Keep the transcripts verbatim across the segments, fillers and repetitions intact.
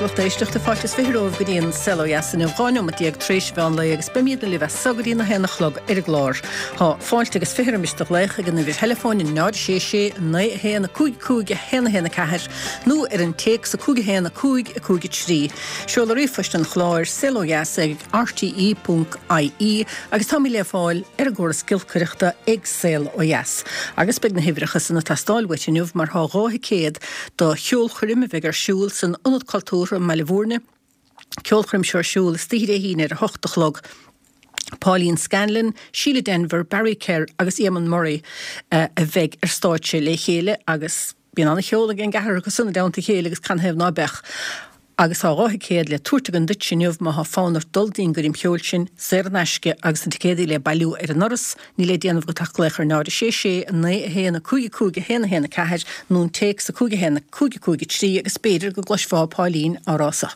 lucht éisteachta fáilte is fiche romhaibh go dtí an Saol Ó Dheas inniu dhá nóiméad déag tar éis mheán lae agus beimidne libh as so go dtí a haon a chlog ar an gclár. Tá fáilte agus fiche roimis do ghlaoch ag an uimhir theileafóin náid sé sé naoi a haon a cúig cúig a haon a haon a ceathair nó ar an téacs a cúig a haon a cúig a cúig a trí. Seoladh ríomhphoist an chláir saol ó dheas ag rte ponc ie agus táimid le fáil ar an gcóras giolcaireachta ag Saol Ó Dheas. Agus beidh na huimhreacha san ag teastáil uait inniu mar tá dhá thicéad do cheolchoirm a bheidh ar siúl san Ionad Cultúrtha i mBaile Bhúirne. Ceolchoirm seo ar siúl istoíche Dé hAoine ar a hocht a chlog. Pauline Scanlon, Síle Denvir, Barry Kerr agus Eamon Murray a bheidh ar stáitse le chéile agus bíonn an-cheol ag an gceathrar acu san i dteannta a chéile agus canathaobh ná beadh. Agus tá dhá thicéad le tabhairt againn duit inniu má thá fonn ort dul dtí'n gcoirm cheoil sin, saor in aisce agus na ticéadaí le bailiú ar an ndoras, níl le déanamh agat ach glaoch ar náid a sé sé a naoi a haon a cúig a cúig a haon a haon a ceathair nó an téacs a cúig a haon a cúig a cúig a trí agus b'fhéidir go gcloisfeá Pauline á rá so.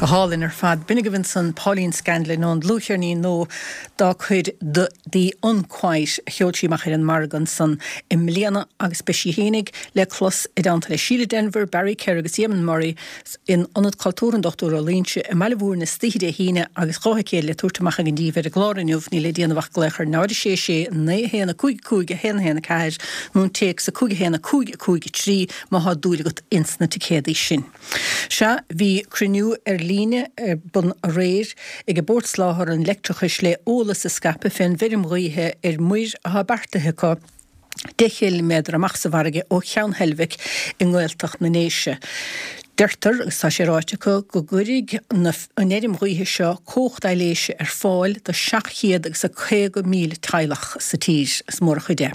Go hálainn ar fad. B'in agaibh ansan Pauline Scanlon ón dlúthcheirnín nua dá cuid The The Unquiet a sheol sí amach ar an margadh ansan i mbliana agus beidh sí fhéinig le clos i dteannta le Síle Denvir, Barry Kerr agus Eamon Murray in Ionad Cultúrtha an Dochtúir Ó Loingsigh i mBaile Bhúirne istoíche Dé hAoine agus dhá thicéad le tabhairt amach againn daoibh ar an gclár inniu. Níl le déanamh ach glaoch ar náid a sé sé naoi a haon a cúig a cúig a haon a haon a ceathair nó an téacs a cúig a haon a cúig a cúig a trí má thá dúil agat ins na ticéadaí sin. Sea, bhí cruinniú ar líne ar bun aréir ag Bord Soláthair an Leictreachais le eolas a scaipeadh fén bhfeirm ghaoithe ar muir atá beartaithe acu deich gciliméadar amach sa bhfarraige ó Cheann Heilbhic i nGaeltacht na nDéise. Deirtear, agus tá sé ráite acu, go gcuirfidh an fheirm ghaoithe seo cumhacht aibhléise ar fáil do seacht chéad agus a caoga míle teaghlach sa tír. Is mór an chuid é.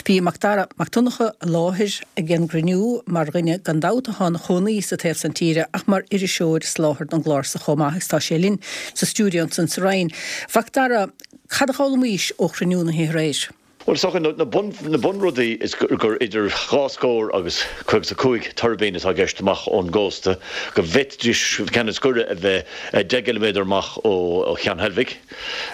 Bhí Macdara Mac Donncha i láthair ag an gcruinniú mar dhuine gan dabht atá ina chónaí sa taobh san tíre ach mar iriseoir is láithreoir don gclár so chomh maith agus tá sé linn sa stiúideo ansan sa Rinn. A Mhacdara, cad a d'fhoghlaimís ó chruinniú na hoíche aréir? Bhuel, is dócha, na bunrudaí is gur idir dhá scór agus caoga is a cúig tuirbín atá i gceist amach ón gcósta, go bhféadfaidís ceann is gaire a bheith deich gciliméadar amach ó Cheann Heilbhic,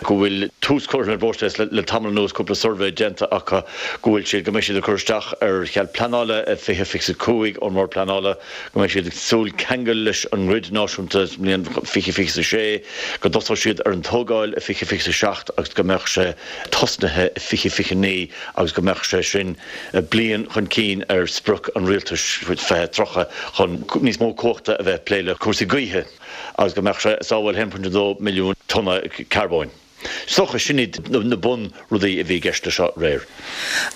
go bhfuil tús curtha ar an bpróiseas le tamall anuas, cúpla suirbhé déanta acu, go bhfuil siad, go mbeidh siad ag cur isteach ar chead pleanála i fiche fiche a cúig ón mBord Pleanála, go mbeidh siad ag súil ceangal leis an ngrid náisiúnta sa mbliain fiche fiche a sé, go dtosóidh siad ar an tógáil i fiche fiche a seacht agus go mbeadh sé tosnaithe i fiche fiche naoi agus go mbeadh sé sin bliain chun cinn ar sprioc an rialtais fiche tríocha chun níos mó cumhachta a bheith ag plé le cúrsaí gaoithe agus go mbeadh sé ag sábháil a haon pointe dó milliún tonna carbóin. Is dócha sin iad na bunrudaí a bhí i gceist leis seo aréir.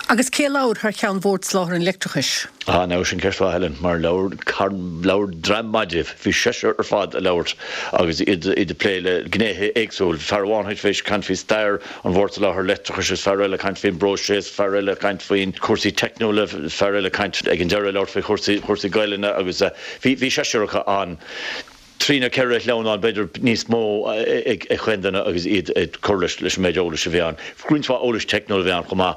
Agus cé a labhair thar ceann Bhord Soláthair an Leictreachais? Ah, now sin ceist mhaith, Helen, mar labhair labhair dream maith díobh. Bhí seisear ar fad ag labhairt agus iad ag plé le gnéithe éagsúil. Fear amháin tar éis caint faoi stair an Bhoird Soláthair Leictreachais is fear eile ag caint faoin bpróiseas, fear eile ag caint faoin cúrsaí teicniúla, fear eile ag caint ag an deireadh ag labhairt faoi chúrsaí chúrsaí Gaelainne agus bhí bhí seisear acu ann. Trí nó ceithre shleamhnán, b'fhéidir níos mó, ag chaon duine agus iad ag cur leis an méid eolais a bhí ann. Roinnt mhaith eolais teicniúil a bhí ann chomh maith,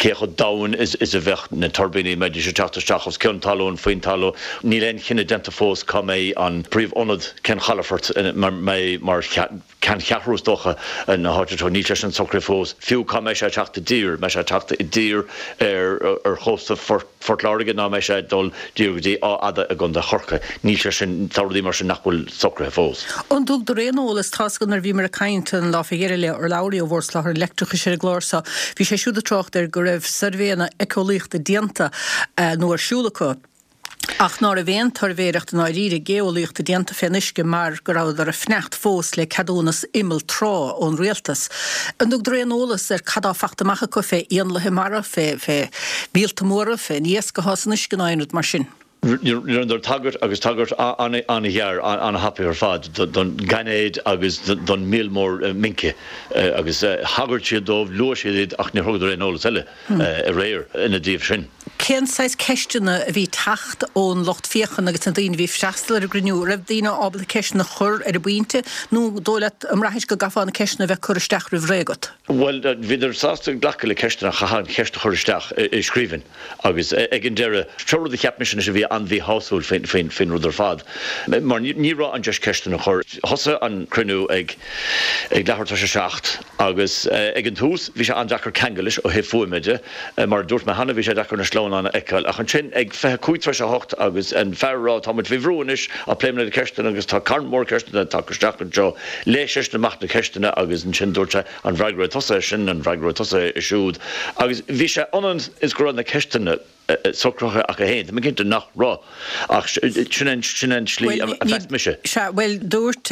cé chomh domhain is a bheadh na tuirbíní, an mbeidís ag teacht isteach os cionn talún, faoin talamh. Níl aon chinneadh déanta fós cá mbeidh an príomhionad, cén chalafort a mbeidh mar ceanncheathrú is dócha na háite seo. Níl sé sin socraithe fós. Fiú cá mbeidh sé ag teacht i dtír, mbeidh sé ag teacht i dtír ar chósta Phort Láirge nó mbeidh sé ag dul díreach go dtí Áth Fhada i gContae Chorcaí. Níl sé sin, tá rudaí mar sin nach bhfuil socraithe fós. An dtugadar aon eolas, tá's agam nuair a bhíomar ag caint an lá fé dheireadh le urlabhraí ó Bhord Soláthair an Leictreachais ar an gclár seo, bhí sé siúd ag trácht air go raibh suirbhéanna éiceolaíochta déanta nó ar siúl acu, ach ná raibh aon tsuirbhéireacht i ndáiríre géolaíochta déanta fén uisce mar go rabhadar ag fanacht fós le ceadúnas imeall trá ón rialtas. An dtugadar aon eolas ar cad tá fachta amach acu fé éanlaithe mara, fé fé mhíolta móra, fén iasc athá san uisce ná aon rud mar sin? Rinneadar tagairt, agus tagairt an-ghearr, an-thapaidh ar fad, don ghainéad agus don mhíol mór mince agus thagair siad dóibh, luaigh siad iad ach níor thugadar aon eolas eile aréir ina dtaobh sin. Cén saghas ceisteanna a bhí ag teacht ón lucht féachana agus na daoine a bhí ag freastal ar an gcruinniú? An raibh daoine ábalta ceisteanna a chur ar an bpointe nó dóigh leat, an mbraithis go gcaithfeá na ceisteanna a bheith curtha isteach roimh ré agat? Bhuel, bhíodar sásta glacadh le ceisteanna ach chaithfeá an cheist a chur isteach i scríbhinn agus ag an deireadh, seo rud a cheap mise anois a bhí an-mhíshásúil faoin rud ar fad mar ní raibh an deis ceisteanna a chur. Thosaigh an cruinniú ag leathuair tar éis a seacht agus ag an tús bhí sé an-deacair ceangal leis ó thaobh fuaime de. Mar a dúirt mé cheana bhí sé deacair na sleamhnáin a fheiceáil ach ansin ag fiche cúig tar éis a hocht agus an fear ag rá tá muid faoi bhrú anois ach pléifidh muid na ceisteanna agus tá carn mór ceisteanna tagtha isteach anseo. Léigh seisean amach na ceisteanna agus ansin dúirt sé an bhfreagróidh tusa é sin, an bhfreagróidh tusa é siúd agus bhí sé ionann is go raibh na ceisteanna socraithe acu féin. Tá mé cinnte nach raibh ach sin an tslí a mheas mise. Sea, bhuel dúirt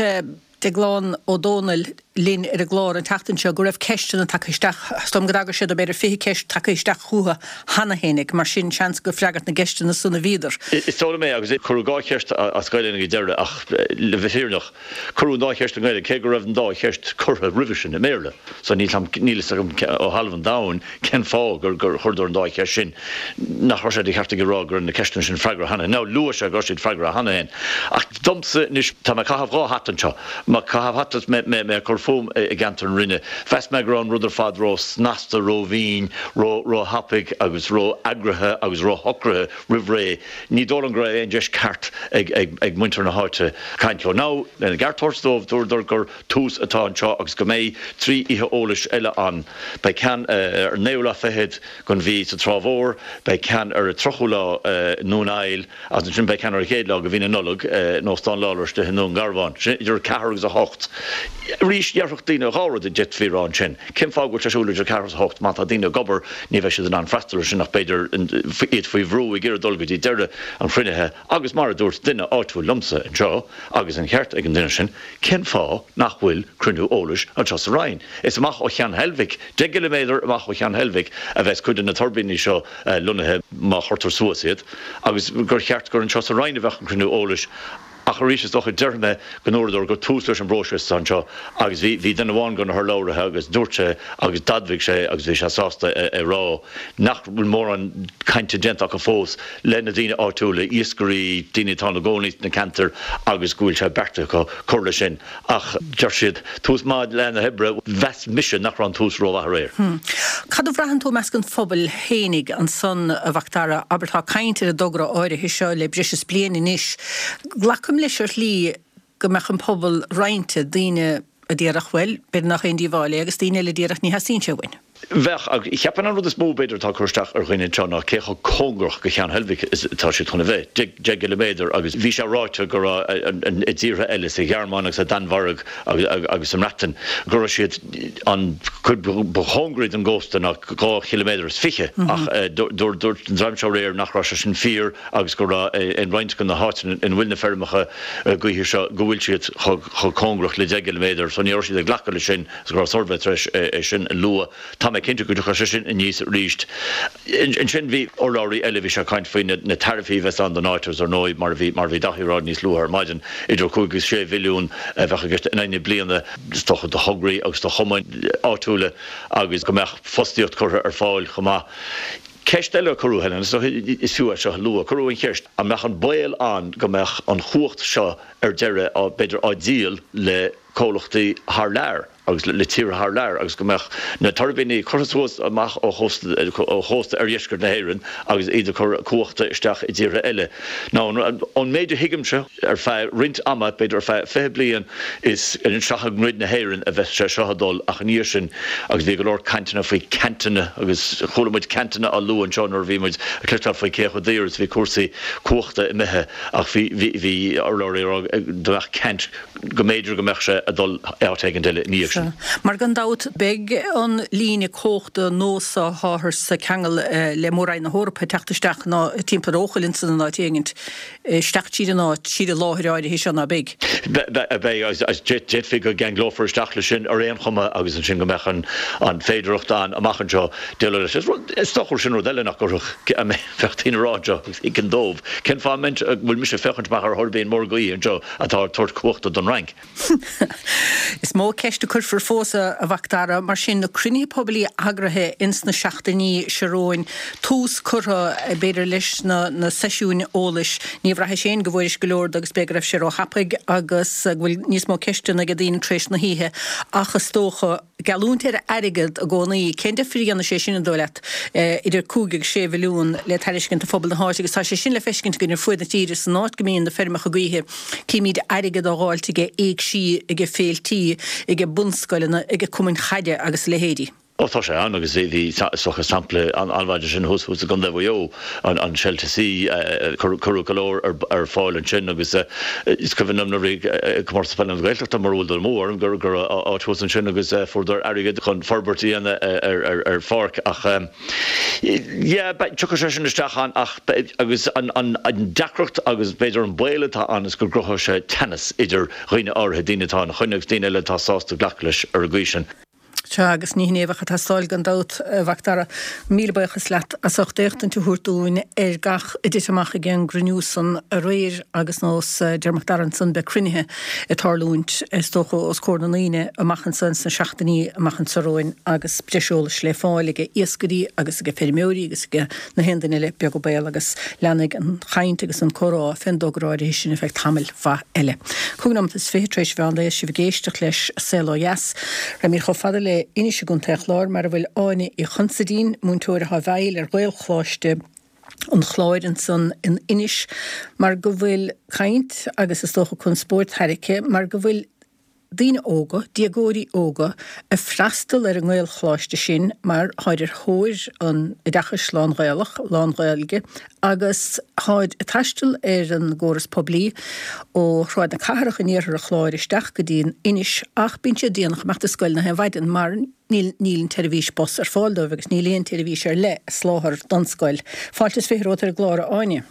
Deaglán Ó Dónaill linn ar an gclár an tseachtain seo go raibh ceisteanna tagtha isteach, is dóigh liom go dtagair sé do b'fhéidir fiche ceist tagtha isteach chucu cheana fhéinig, mar sin seans gur freagairt na gceisteanna san a bhíodar. Is dóigh liom é, agus cuireadh dhá cheist as Gaelainn ag an deireadh ach le bheith fírinneach, cuireadh an dá cheist i nGaeilge cé go raibh an dá cheist curtha roimhe sin i mBéarla. So níl níl fhios agam ó thalamh an domhain cén fáth gur gur chuireadar an dá cheist sin. Nach raibh sé de cheart aige a rá go raibh na ceisteanna sin freagartha cheana. Now luaigh sé go raibh siad freagartha cheana féin. Ach domsa anois, tá mé ag caitheamh dhá hata anseo. Mé ag caitheamh hata is mé ag cur fúm i gceantar na Rinne, mheas mé go raibh an rud ar fad ró-snasta, ró-mhín, ró-thapaidh agus ró-eagraithe agus ró-shocraithe roimh ré. Ní dóigh liom go raibh aon deis ceart ag muintir na háite caint leo. Now, lena gceart a thabhairt dóibh, dúradar gur tús atá anseo agus go mbeidh trí oíche eolais eile ann. Beidh ceann ar an naoú lá fichead den mhí sa Trá Mhór, beidh ceann ar an tríochú lá i nDún Aill, Agus ansin beidh ceann ar an chéad lá de mhí na Nollag in Óstán Lawlor istigh i nDún Garbhán. Sin idir a ceathair agus a hocht. Arís, déarfadh daoine dhá rud a d'fhéadfaí a rá ansin. Cén fáth go bhfuil sé ar siúl idir a ceathair agus a hocht? Má tá daoine ag obair, ní bheidh siad in ann freastal air sin ach b'fhéidir iad faoi bhrú ag iarraidh dul go dtí deireadh an chruinnithe. Agus mar a dúirt duine áitiúil liomsa anseo, agus an ceart ag an duine sin, cén fáth nach bhfuil cruinniú eolais anseo sa Rinn? Is amach ó Cheann Heilbhic, deich gciliméadar amach ó Cheann Heilbhic a bheas cuid de na tuirbíní seo lonnaithe má chuirtear suas iad, agus gur cheart gur anseo sa Rinn a bheadh an cruinniú eolais. Ach arís, is dócha, déarfaidh mé go ndúradar gur tús leis an bpróiseas atá anseo agus bhí, bhí duine amháin de na hurlabhraithe agus dúirt sé agus d'admhaigh sé agus bhí sé sásta a rá nach bhfuil mórán cainte déanta acu fós le na daoine áitiúla, iascairí, daoine atá ina gcónaí sna ceantair agus go bhfuil sé beartaithe acu cur leis sin. Ach deir siad, tús maith le na hoibre, mheas mise nach raibh an tús rómhaith aréir. Cad a bhraitheann tú i measc an phobail fhéinig ansan, a Mhacdara? Abair, tá caint ar an dtogra áirithe seo le breis is bliain anois. Glacaim leis ar shlí go mbeadh an pobal roinnte, daoine a déarfadh, bhuel, b'fhéidir nach aon díobháil é agus daoine eile a déarfadh ní theastaíonn sé uainn. Bheadh, ach cheapfainn an rud is mó b'fhéidir atá ag cur isteach ar dhaoine anseo ná cé chomh cóngarach go Ceann Heilbhic is atá siad chun a bheith, deich gciliméadar, agus bhí sé ráite go raibh i dtíortha eile, sa Ghearmáin agus sa Danmhairg agus sa mBreatain, go raibh siad an chuid ba chóngaraí don gcósta ná dhá chiliméadar is fiche, ach dúirt an dream seo aréir nach raibh sé sin fíor agus go raibh in roinnt de na háiteanna ina bhfuil na feirmeacha gaoithe seo go bhfuil siad chomh cóngarach le deich gciliméadar, so ní raibh siad ag glacadh leis sin agus go raibh suirbhé tar éis é sin a lua. Tá mé cinnte go dtiocfaidh sé sin aníos arís. Ansin bhí urlabhraí eile, bhí sé ag caint faoi na taraifí a bheas ann don áit agus ar ndóigh mar a bhí mar a bhí Daithí a rá níos luaithe ar maidin, idir cúig agus sé mhilliún a bheadh i gceist in aghaidh na bliana is dócha do thograí agus do chumainn áitiúla agus go mbeadh fostaíocht curtha ar fáil chomh maith. Ceist eile a cuireadh, Helen, is dócha is fiú é seo a lua, cuireadh an cheist an mbeadh an baol ann go mbeadh an chumhacht seo ar deireadh b'fhéidir á díol le comhlachtaí thar lear agus le tíortha thar lear agus go mbeadh na tuirbíní curtha suas amach ó chósta oirdheisceart na hÉireann agus iad ag cur cumhachta isteach i dtíortha eile. Now, ón méid a thuigimse, ar feadh roinnt ama, b'fhéidir ar feadh fiche bliain, is isteach i ngrid na hÉireann a bheas sé seo ag dul ach ina dhiaidh sin, agus bhí go leor cainteanna faoi ceantanna agus chuala muid ceantanna á lua anseo nuair a bhí muid ag cloisteáil faoi cé chomh daor is a bhí cúrsaí cumhachta imithe ach bhí, bhí, bhí urlabhraí ag rá go mbeadh ceant go mb'fhéidir go mbeadh sé ag dul áit éigin eile ina dhiaidh sin. Mar gan dabht beidh an líne cumhachta nua so atáthar ag ceangal le Mór-Roinn na hEorpa ag teacht isteach ná timpeall ar Eochaill ansan in áit éigint isteach tríd an áit, tríd an láthair áirithe seo ná beidh? Beidh, agus d'fhéadfaí go gceanglófar isteach leis sin ar aon chuma agus ansin go mbeadh an féidearthacht ann amach anseo déileáil leis. Is dócha sin rud eile nach gcuirfeadh, bheadh daoine ag rá anseo agus thuigfinn dóibh, cén fáth a bhfuil mise ag féachaint amach ar thuirbín mór gaoithe anseo atá ag tabhairt cumhachta don Fhrainc? Is mó ceist a cuirfear fós, a Mhac Dara, mar sin, na cruinnithe poiblí eagraithe ins na seachtainí seo romhainn, tús curtha, b'fhéidir, leis na seisiúin eolais. Ní bhraithis féin go bhfuairis go leor de agus b'fhéidir go raibh sé ró-thapaidh agus go bhfuil níos mó ceisteanna ag daoine tar éis na hoíche ach is dócha, geallúint ar airgead i gcónaí, cén difear a dhéanfaidh sé sin, an dóigh leat, idir cúig agus sé mhilliún le tairiscint do phobal na háite agus tá sé sin le feiscint againn ar fuaid na tíre san áit go mbíonn na feirmeacha gaoithe, címid airgead á dháilt aige éigsí, aige féiltí, aige bunscoileanna, aige cumainn chaide agus a leithéidí. Ó tá sé ann agus bhí is dócha sampla an-mhaith de sin thuas i gContae Mhaigh Eo, an Shell to Sea, cuireadh go leor ar fáil ansin agus is cuimhin liom nuair a bhí Comórtas Peile na Gaeltachta mura bhfuil dul amú orm go raibh áit thuas ansin agus fuaireadar airgead chun forbairt a dhéanamh ar pháirc ach yeah tiocfaidh sé sin isteach ann ach agus an deacracht agus b'fhéidir an baol atá ann is go gcruthóidh sé teannas idir dhaoine áirithe, daoine atá ina choinne agus daoine eile atá sásta glacadh leis ar an gcaoi sin. Sea, agus ní hin é a bheadh ag teastáil gan dabht, a Mhac Dara. Míle buíochas leat as ucht éachtaint a thabhairt dúinn ar gach a dtit amach ag an gcruinniú san aréir agus nós a deir Mac Dara ansan beidh cruinnithe ag tarlúint is dócha os comhair na ndaoine amach anso ins na seachtainí amach anso romhainn agus breis eolais le fáil ag iascairí agus ag feirmeoirí agus ag na haon duine eile beag an baol agus leanfaidh an chaint agus an comhrá fén dtogra áirithe sin ar feadh tamaill mhaith eile. Cúig nóimeat is fiche tar éis mheán lae is sibh ag éisteacht leis Saol Ó Dheas. Raghaimid chomh fada le Inis i gContae an Chláir mar a bhfuil Áine Uí Chonsaidín, múinteoir atá i bhfeighil ar Ghaelcholáiste an Chláir ansan in Inis, mar go bhfuil caint agus is dócha conspóid tarraicthe mar go bhfuil daoine óga, déagóirí óga, ag freastal ar an nGaelcholáiste sin mar táid ar thóir an oideachais lán-Ghaelach, lán-Ghaeilge agus táid ag taisteal ar an gcóras poiblí ó Shráid na Cathrach in iarthar an Chláir isteach go dtí an Inis ach bíonn siad déanach imeacht ar scoil na haon mhaidin mar níl níl an tseirbhís bus ar fáil dóibh agus níl aon tseirbhís ar leith a soláthar don scoil. Fáilte is fiche romhat ar an gclár, a Áine.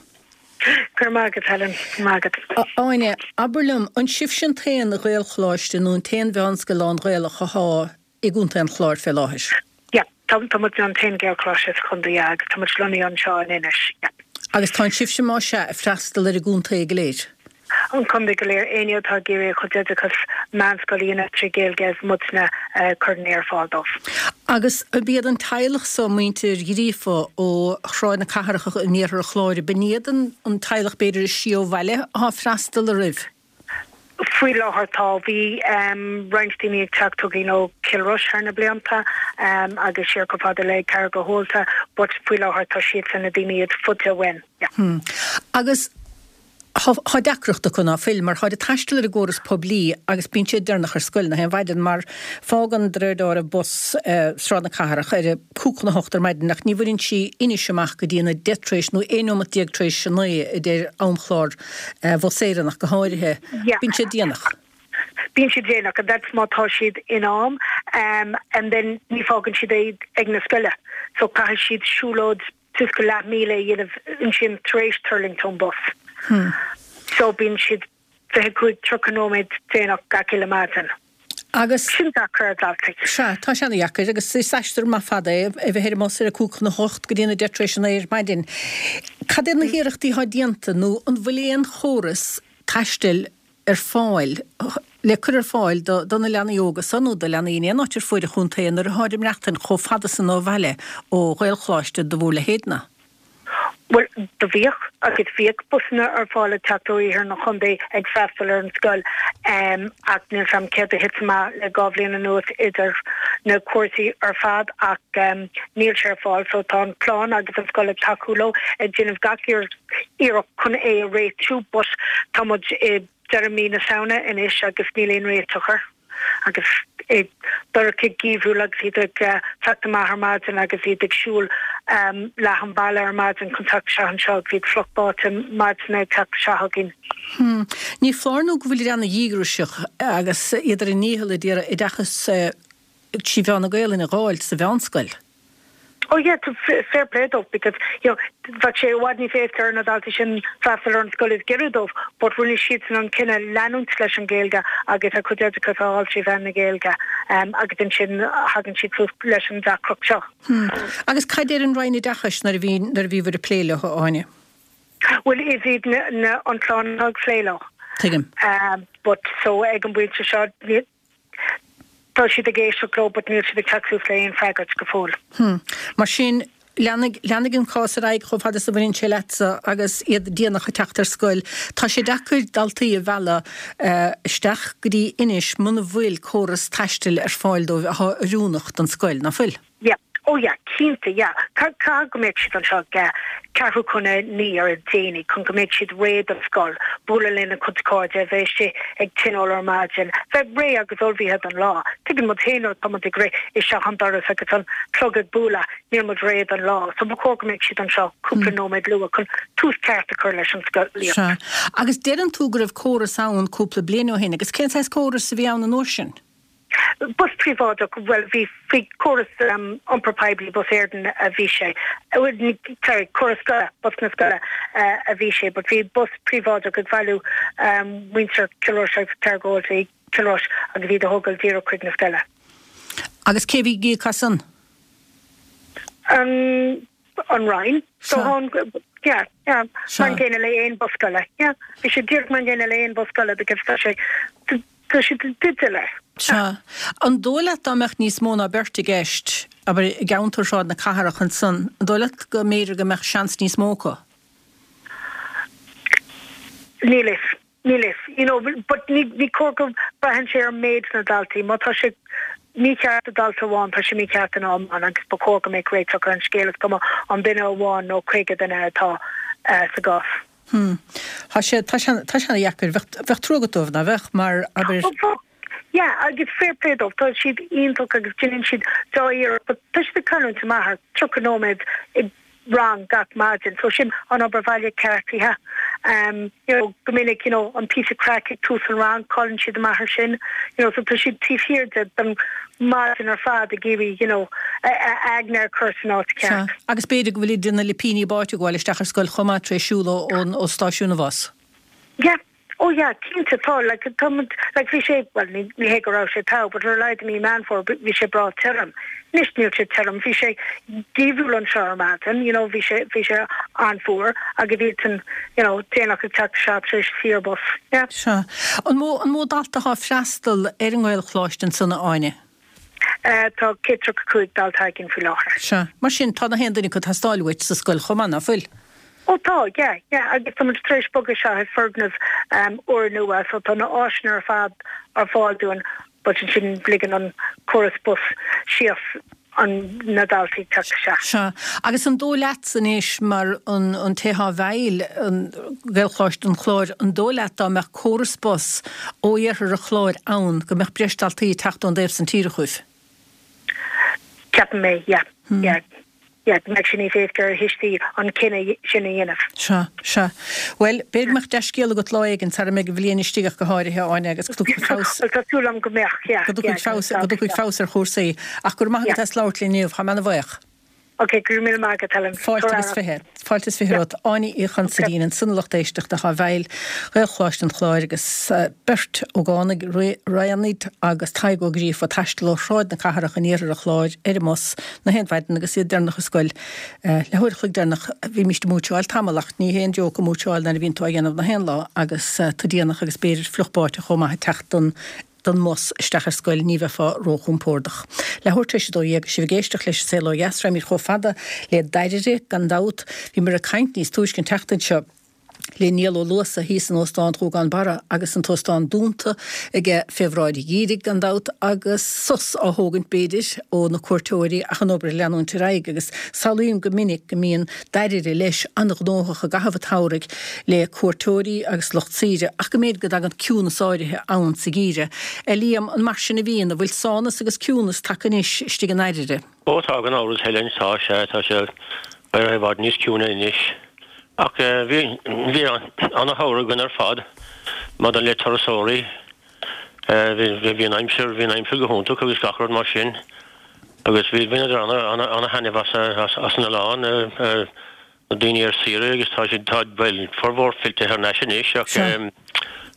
Go raibh maith agat, Helen. Go raibh maith agat. A Áine, abair liom, an sibhse an t-aon Ghaelcholáiste nó an t-aon mheánscoil lán-Ghaelach athá i gContae an Chláir fé láthair? Yeah, tá, tá muid an t-aon Ghaelcholáiste sa chontae, yeah, agus tá muid lonnaithe anseo in Inis, yeah. Agus tá sibhse más ea ag freastal ar an gcontae go léir? An contae go léir, éinne atá ag iarraidh a chuid oideachas meánscoile a dhéanamh trí Ghaeilge, is muidne a chuireann é ar fáil dóibh. Agus ab iad an teaghlach so, muintir Ghríofa ó Shráid na Cathrach in iarthar an Chláir, ab in iad an teaghlach b'fhéidir is sia ó bhaile atá ag freastal oraibh? Faoi láthair tá. Bhí roinnt daoine ag teacht chugainn ó Chill Rois thar na blianta agus siar chomh fada le Carraig an Thaolta but faoi láthair tá siadsan na daoine is faide uainn. Yeah. Agus Tá deacracht acu ná fuil, mar táid ag taisteal ar an gcóras poiblí agus bíonn siad deireanach ar scoil nach aon mhaidin mar fágann de réir dealraimh bus Sráid na Cathrach ar a cúig chun a hocht ar maidin ach ní bhaineann sí Inis amach go dtí an a deich tar éis nó aon neomat déag tar éis a naoi a deir amchlár Bhus Éireann ach go háirithe. Bíonn siad déanach. Bíonn siad déanach and that's má tá siad in am um, and then ní fágann siad iad ag na scoile so caithfidh siad siúlóid suas go leath míle a dhéanamh ansin tar éis tuirlingt ón bus. Hmm. So bíonn siad fiche cúig tríocha nóiméad déanach gach uile maidin. Agus sin deacair ar dhaltaí. Sea, tá sé ana-dheacair agus is aistear maith fada é a bheith ar an mbus ar a cúig chun a hocht go dtí an a deich tar éis a naoi ar maidin. Cad iad na hiarrachtaí atá déanta nó an bhfuil aon chóras taistil ar fáil le cur ar fáil do do na leanaí óga san nó do leanaí in aon áit ar fuaid an chontae nuair atáid ag maireachtaint chomh fada san ó bhaile ó Ghaelcholáiste do bhur leithéidne? Bhuel, do bhíodh agus bhíodh busanna ar fáil ag teacht ó iarthar an chontae ag freastal ar an scoil ach níl 's a'm céard a thit amach le dhá bhliain anuas idir na cúrsaí ar fad ach níl sé ar fáil so tá an clann agus an scoil ag tacú leo ag déanamh gach iarracht chun é a réitiú but tá muid i deireadh mí na Samhna anois agus níl aon réiteach air agus é dorcha geimhriúil agus iad ag teacht amach ar maidin agus iad ag siúl leath an bhealaigh ar maidin chun teacht isteach anseo agus iad fliuch báite maidin ag teacht isteach againn. Hmm. Ní foláir nó go bhfuil ana-dhíograiseach agus iad ar a ndícheall ag iarraidh oideachas trí mheán na Gaelainne a dh'fháil sa mheánscoil. Oh yeah, fair play dóibh because you know bheadh sé i bhfad níos éasca ar na daltaí sin freastal ar an scoil is giorra dóibh but rinne siadsan an cinneadh leanúint leis an Ghaeilge agus a gcuid oideachas a fháil trí mheán na Gaeilge um, agus ansin thagann siad suas leis an deacracht seo. Hmm. Agus cad deir an Roinn Oideachais nuair a bhí nuair a bhíobhair ag plé leo, a Áine? Well is iad na, na an clann ag plé leo. Tuigim. Um, but so ag an bpointe seo Tá siad ag éisteacht leo but níl siad ag teacht suas le aon freagairt go fóill. Hmm. Mar sin, leanfaidh, leanfaidh an cás ar aghaidh chomh fada is a bhaineann sé leatsa agus iad déanach ag teacht ar scoil. Tá sé deacair daltaí a mhealladh isteach go dtí Inis muna bhfuil córas taistil ar fáil dóibh atá oiriúnach don scoil, ná fuil? Yeah. Oh yeah, cinnte, yeah. Caithfidh go mbeadh siad anseo ag ceathrú chun a naoi ar a déanaí chun go mbeadh siad réidh don scoil, bualadh lena gcuid cairde, a bheith istigh ag tionól ar maidin, bheith réidh agus ullmhaithe don lá. Tuigeann muid féin nuair atá muid ag rith isteach an doras agus an clog ag bualadh, níl muid réidh don lá. So ba chóir go mbeadh siad anseo cúpla nóiméad luath chun tús ceart a chur leis an scolaíocht. Sea. Agus deireann tú go raibh córas ann cúpla bliain ó shin, agus cén saghas córas a bhí ann an uair sin? Bus príobháideach, bhuel bhí faoi córas iompar poiblí Bus Éireann a bhí sé, sorry, córas scoile, bus na scoile a bhí sé, but bhí bus príobháideach ag bailiú muintir Chill Rois agus Carraig Dhóite i Cill Rois agus iad a thógáil díreach chuig na scoile. Agus cé bhí ag íoc as san? An an Roinn. So yeah, yeah, mar an gcéanna le aon bus scoile, yeah. Bhí sé díreach mar an gcéanna le aon bus scoile because tá sé Tá sé i dteideal é. Sea. An dóigh leat dá mbeadh níos mó ná beirt i gceist, abair, i gceantar Shráid na Cathrach ansan, an dóigh leat go mb'fhéidir go mbeadh seans níos mó acu? Níl fhios. Níl fhios. You know, but ní, ní cóir go braitheann sé ar méid na ndaltaí. Má tá sé mícheart do dhalta amháin, tá sé mícheart don iomlán agus ba chóir go mbeadh réiteach ar an scéal, is cuma an duine amháin nó caoga duine atá sa gcás. Hmm. Tá sé, tá sé, tá sé ana-dheacair. Bheadh, bheadh trua agat dóibh, ná bheadh? Mar, abair. Oh, bheadh. Yeah, agus fair play dóibh, tá siad iontach agus déanann siad dea-iarracht, but tá siad ag cailliúint amach ar tríocha nóiméad i rang gach maidin, so sin an obair bhaile ceartaithe. Um, you know, go minic, you know, an píosa craic ag tús an rang, cailleann siad amach ar sin, you know, so tá siad taobh thiar de don maidin ar fad ag iarraidh, you know, a aigne a chur san áit Sea. ceart. Agus b'fhéidir go bhfuil idir na lipíní báite ag gabháil isteach ar scoil chomh maith tar éis siúl ón ó stáisiún an bhus. Yeah. Oh yeah, cinnte, tá, like, tá muid, like, bhí sé, bhuel, ní, ní hé go raibh sé togha, but ar a laghad i mí Meán Fómhair bhí sé breá tirim. Anois níl sé tirim, bhí sé geimhriúil anseo ar maidin, you know, bhí sé, bhí sé an-fhuar agus iadsan, you know, déanach ag teacht isteach tar éis saor bus, yeah. Sea. An mó, an mó dalta atá ag freastal ar an nGaelcholáiste ansan, a Áine? Tá céad tríocha cúig dalta againn faoi láthair. Sea. Mar sin, tá na haon duine acu ag teastáil uait sa scoil chomh maith, ná fuil? Ó tá, yeah, yeah, agus tá muid tar éis bogadh isteach i foirgneamh úrnua so tá na áiseanna ar fad ar fáil dúinn but ansin ligeann an córas bus síos an na daltaí teacht isteach. Sea. Agus an dóigh leatsa anois mar an an té atá i bhfeighil an Ghaelcholáiste an Chláir, an dóigh leat dá mbeadh córas bus ó iarthar an Chláir ann go mbeadh breis daltaí ag teacht ón dtaobh san tíre chugaibh? Ceapaim é, yeah. Yeah. Yeah, go mbeadh sé níos éasca ar thuistí an cinneadh sin a dhéanamh. Sea, sea. Bhuel, b'fhéidir go mbeadh dea-scéal agat lá éigin, sara mbeidh an bhliain istigh ach go háirithe, Áine, agus go dtiocfaidh feabhas, Bhuel, tá súil agam go mbeadh, yeah, go dtiocfaidh feabhas, go dtiocfaidh feabhas ar chúrsaí. Ach go raibh maith agat as labhairt linn inniu, tá mé ana-bhuíoch. Ok, go raibh míle maith agat, Helen. Fáilte agus fiche. Fáilte is fiche romhat. Áine Uí Chonsaidín, ansan a lucht éisteachta atá i bhfeighil Ghaelcholáiste an Chláir agus beirt ógánaigh, Raianaid agus Tadhg Ó Gríofa, ag taisteal ó Shráid na Cathrach in iarthar an Chláir ar an mbus na haon mhaidin agus iad deireanach ar scoil le huair a chloig deireanach. Bhímíst ag múitseáil tamall ach ní haon joke an mhúitseáil nuair a bhíonn tú á dhéanamh na haon lá agus tú déanach agus b'fhéidir fliuch báite chomh maith ag teacht don don mbus isteach ar scoil, ní bheifeá róchompordach. Leathuair tar éis a dó dhéag, sibh ag éisteacht leis An Saol Ó Dheas, raghaimid chomh fada le Dairire, gan dabht. Bhíomar ag caint níos túisce an tseachtain seo le Niall Ó Luasa thíos in Óstán Ghúgán Barra agus an t-óstán dúnta aige fé bhráid an gheimhridh, gan dabht, agus sos á thógaint, b'fhéidir, ó na cuairteoirí ach an obair ag leanúint ar aghaidh agus samhlaím go minic go mbíonn Dairire leis an-ghnóthach i gcaitheamh an tsamhraidh le cuairteoirí agus lucht saoire ach go mb'fhéidir go dtagann ciúnas áirithe ann sa gheimhreadh. A Liam, an mar sin a bhíonn? An bhfuil sánas agus ciúnas tagtha anois istigh i nDairire? Ó tá, gan amhras, Helen, tá sé, tá sé i bhfad níos ciúine anois. Ach bhí, bhí ana-shamhradh againn ar fad maidir le turasóirí. Bhí, bhí an aimsir, bhí an aimsir go hiontach agus gach rud mar sin. Agus bhí, bhaineadar ana, ana, ana-thaitneamh as, as, as an oileán. Na daoine ar saoire agus tá siad, tá, bhuel, formhór fillte thar n-ais anois ach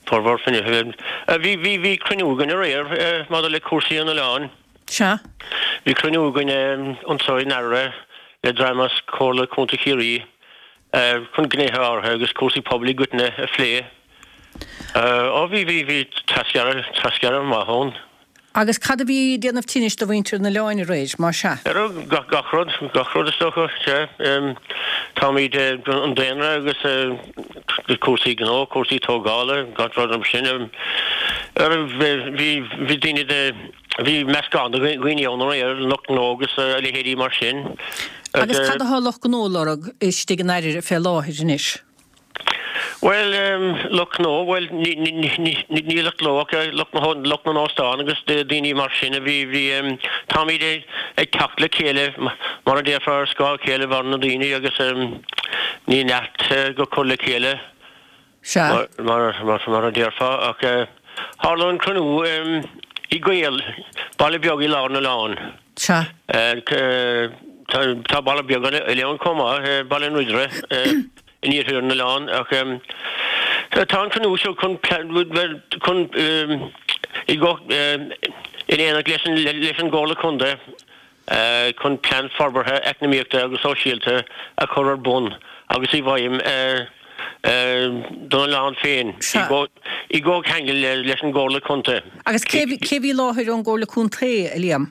formhór fine, bhí, bhí, bhí cruinniú againn aréir maidir le cúrsaí an oileáin. Sea. Bhí cruinniú againn anseo i nDairire le dream as Comhairle Contae Chiarraí chun gnéithe áirithe agus cúrsaí pobail i gcoitinne a phlé. Ó bhí, bhí, bhí trasghearradh, trasghearradh maith ann. Agus cad a bhí ag déanamh tinnis do mhuintir an oileáin aréir, má sea? Ar gach rud, gach rud is dócha, sea. Táimid, an daonra agus cúrsaí gnó, cúrsaí tógála, gach rud mar sin. Bhí, bhí daoine de, bhí meascán de dhaoine ann aréir, lucht gnó agus a leithéidí mar sin. Agus cad atá lucht gnó ag lorg istigh i nDairire fé láthair anois? Bhuel, lucht gnó, bhuel, ní lucht gnó ach lucht na n-óstán agus daoine mar sin a bhí, bhí, táimid ag teacht le chéile, mar a déarfá, ar scáth a chéile mar na daoine agus ní neart go cur le chéile, mar a déarfá, ach tharla an cruinniú i gCaol, baile beag i lár an oileáin. Sea. Tá baile beag eile ann chomh maith, Baile an Ridire. in iarthar an oileáin ach tá an cruinniú seo chun chun i in éineacht leis an leis an gComhairle Contae chun plean forbartha eacnamaíochta agus sóisialta a chur ar bun agus i bhfeidhm don oileán féin i gcomhcheangal leis an gComhairle Contae. Agus cé cé bhí i láthair ón gComhairle Contae, a Liam?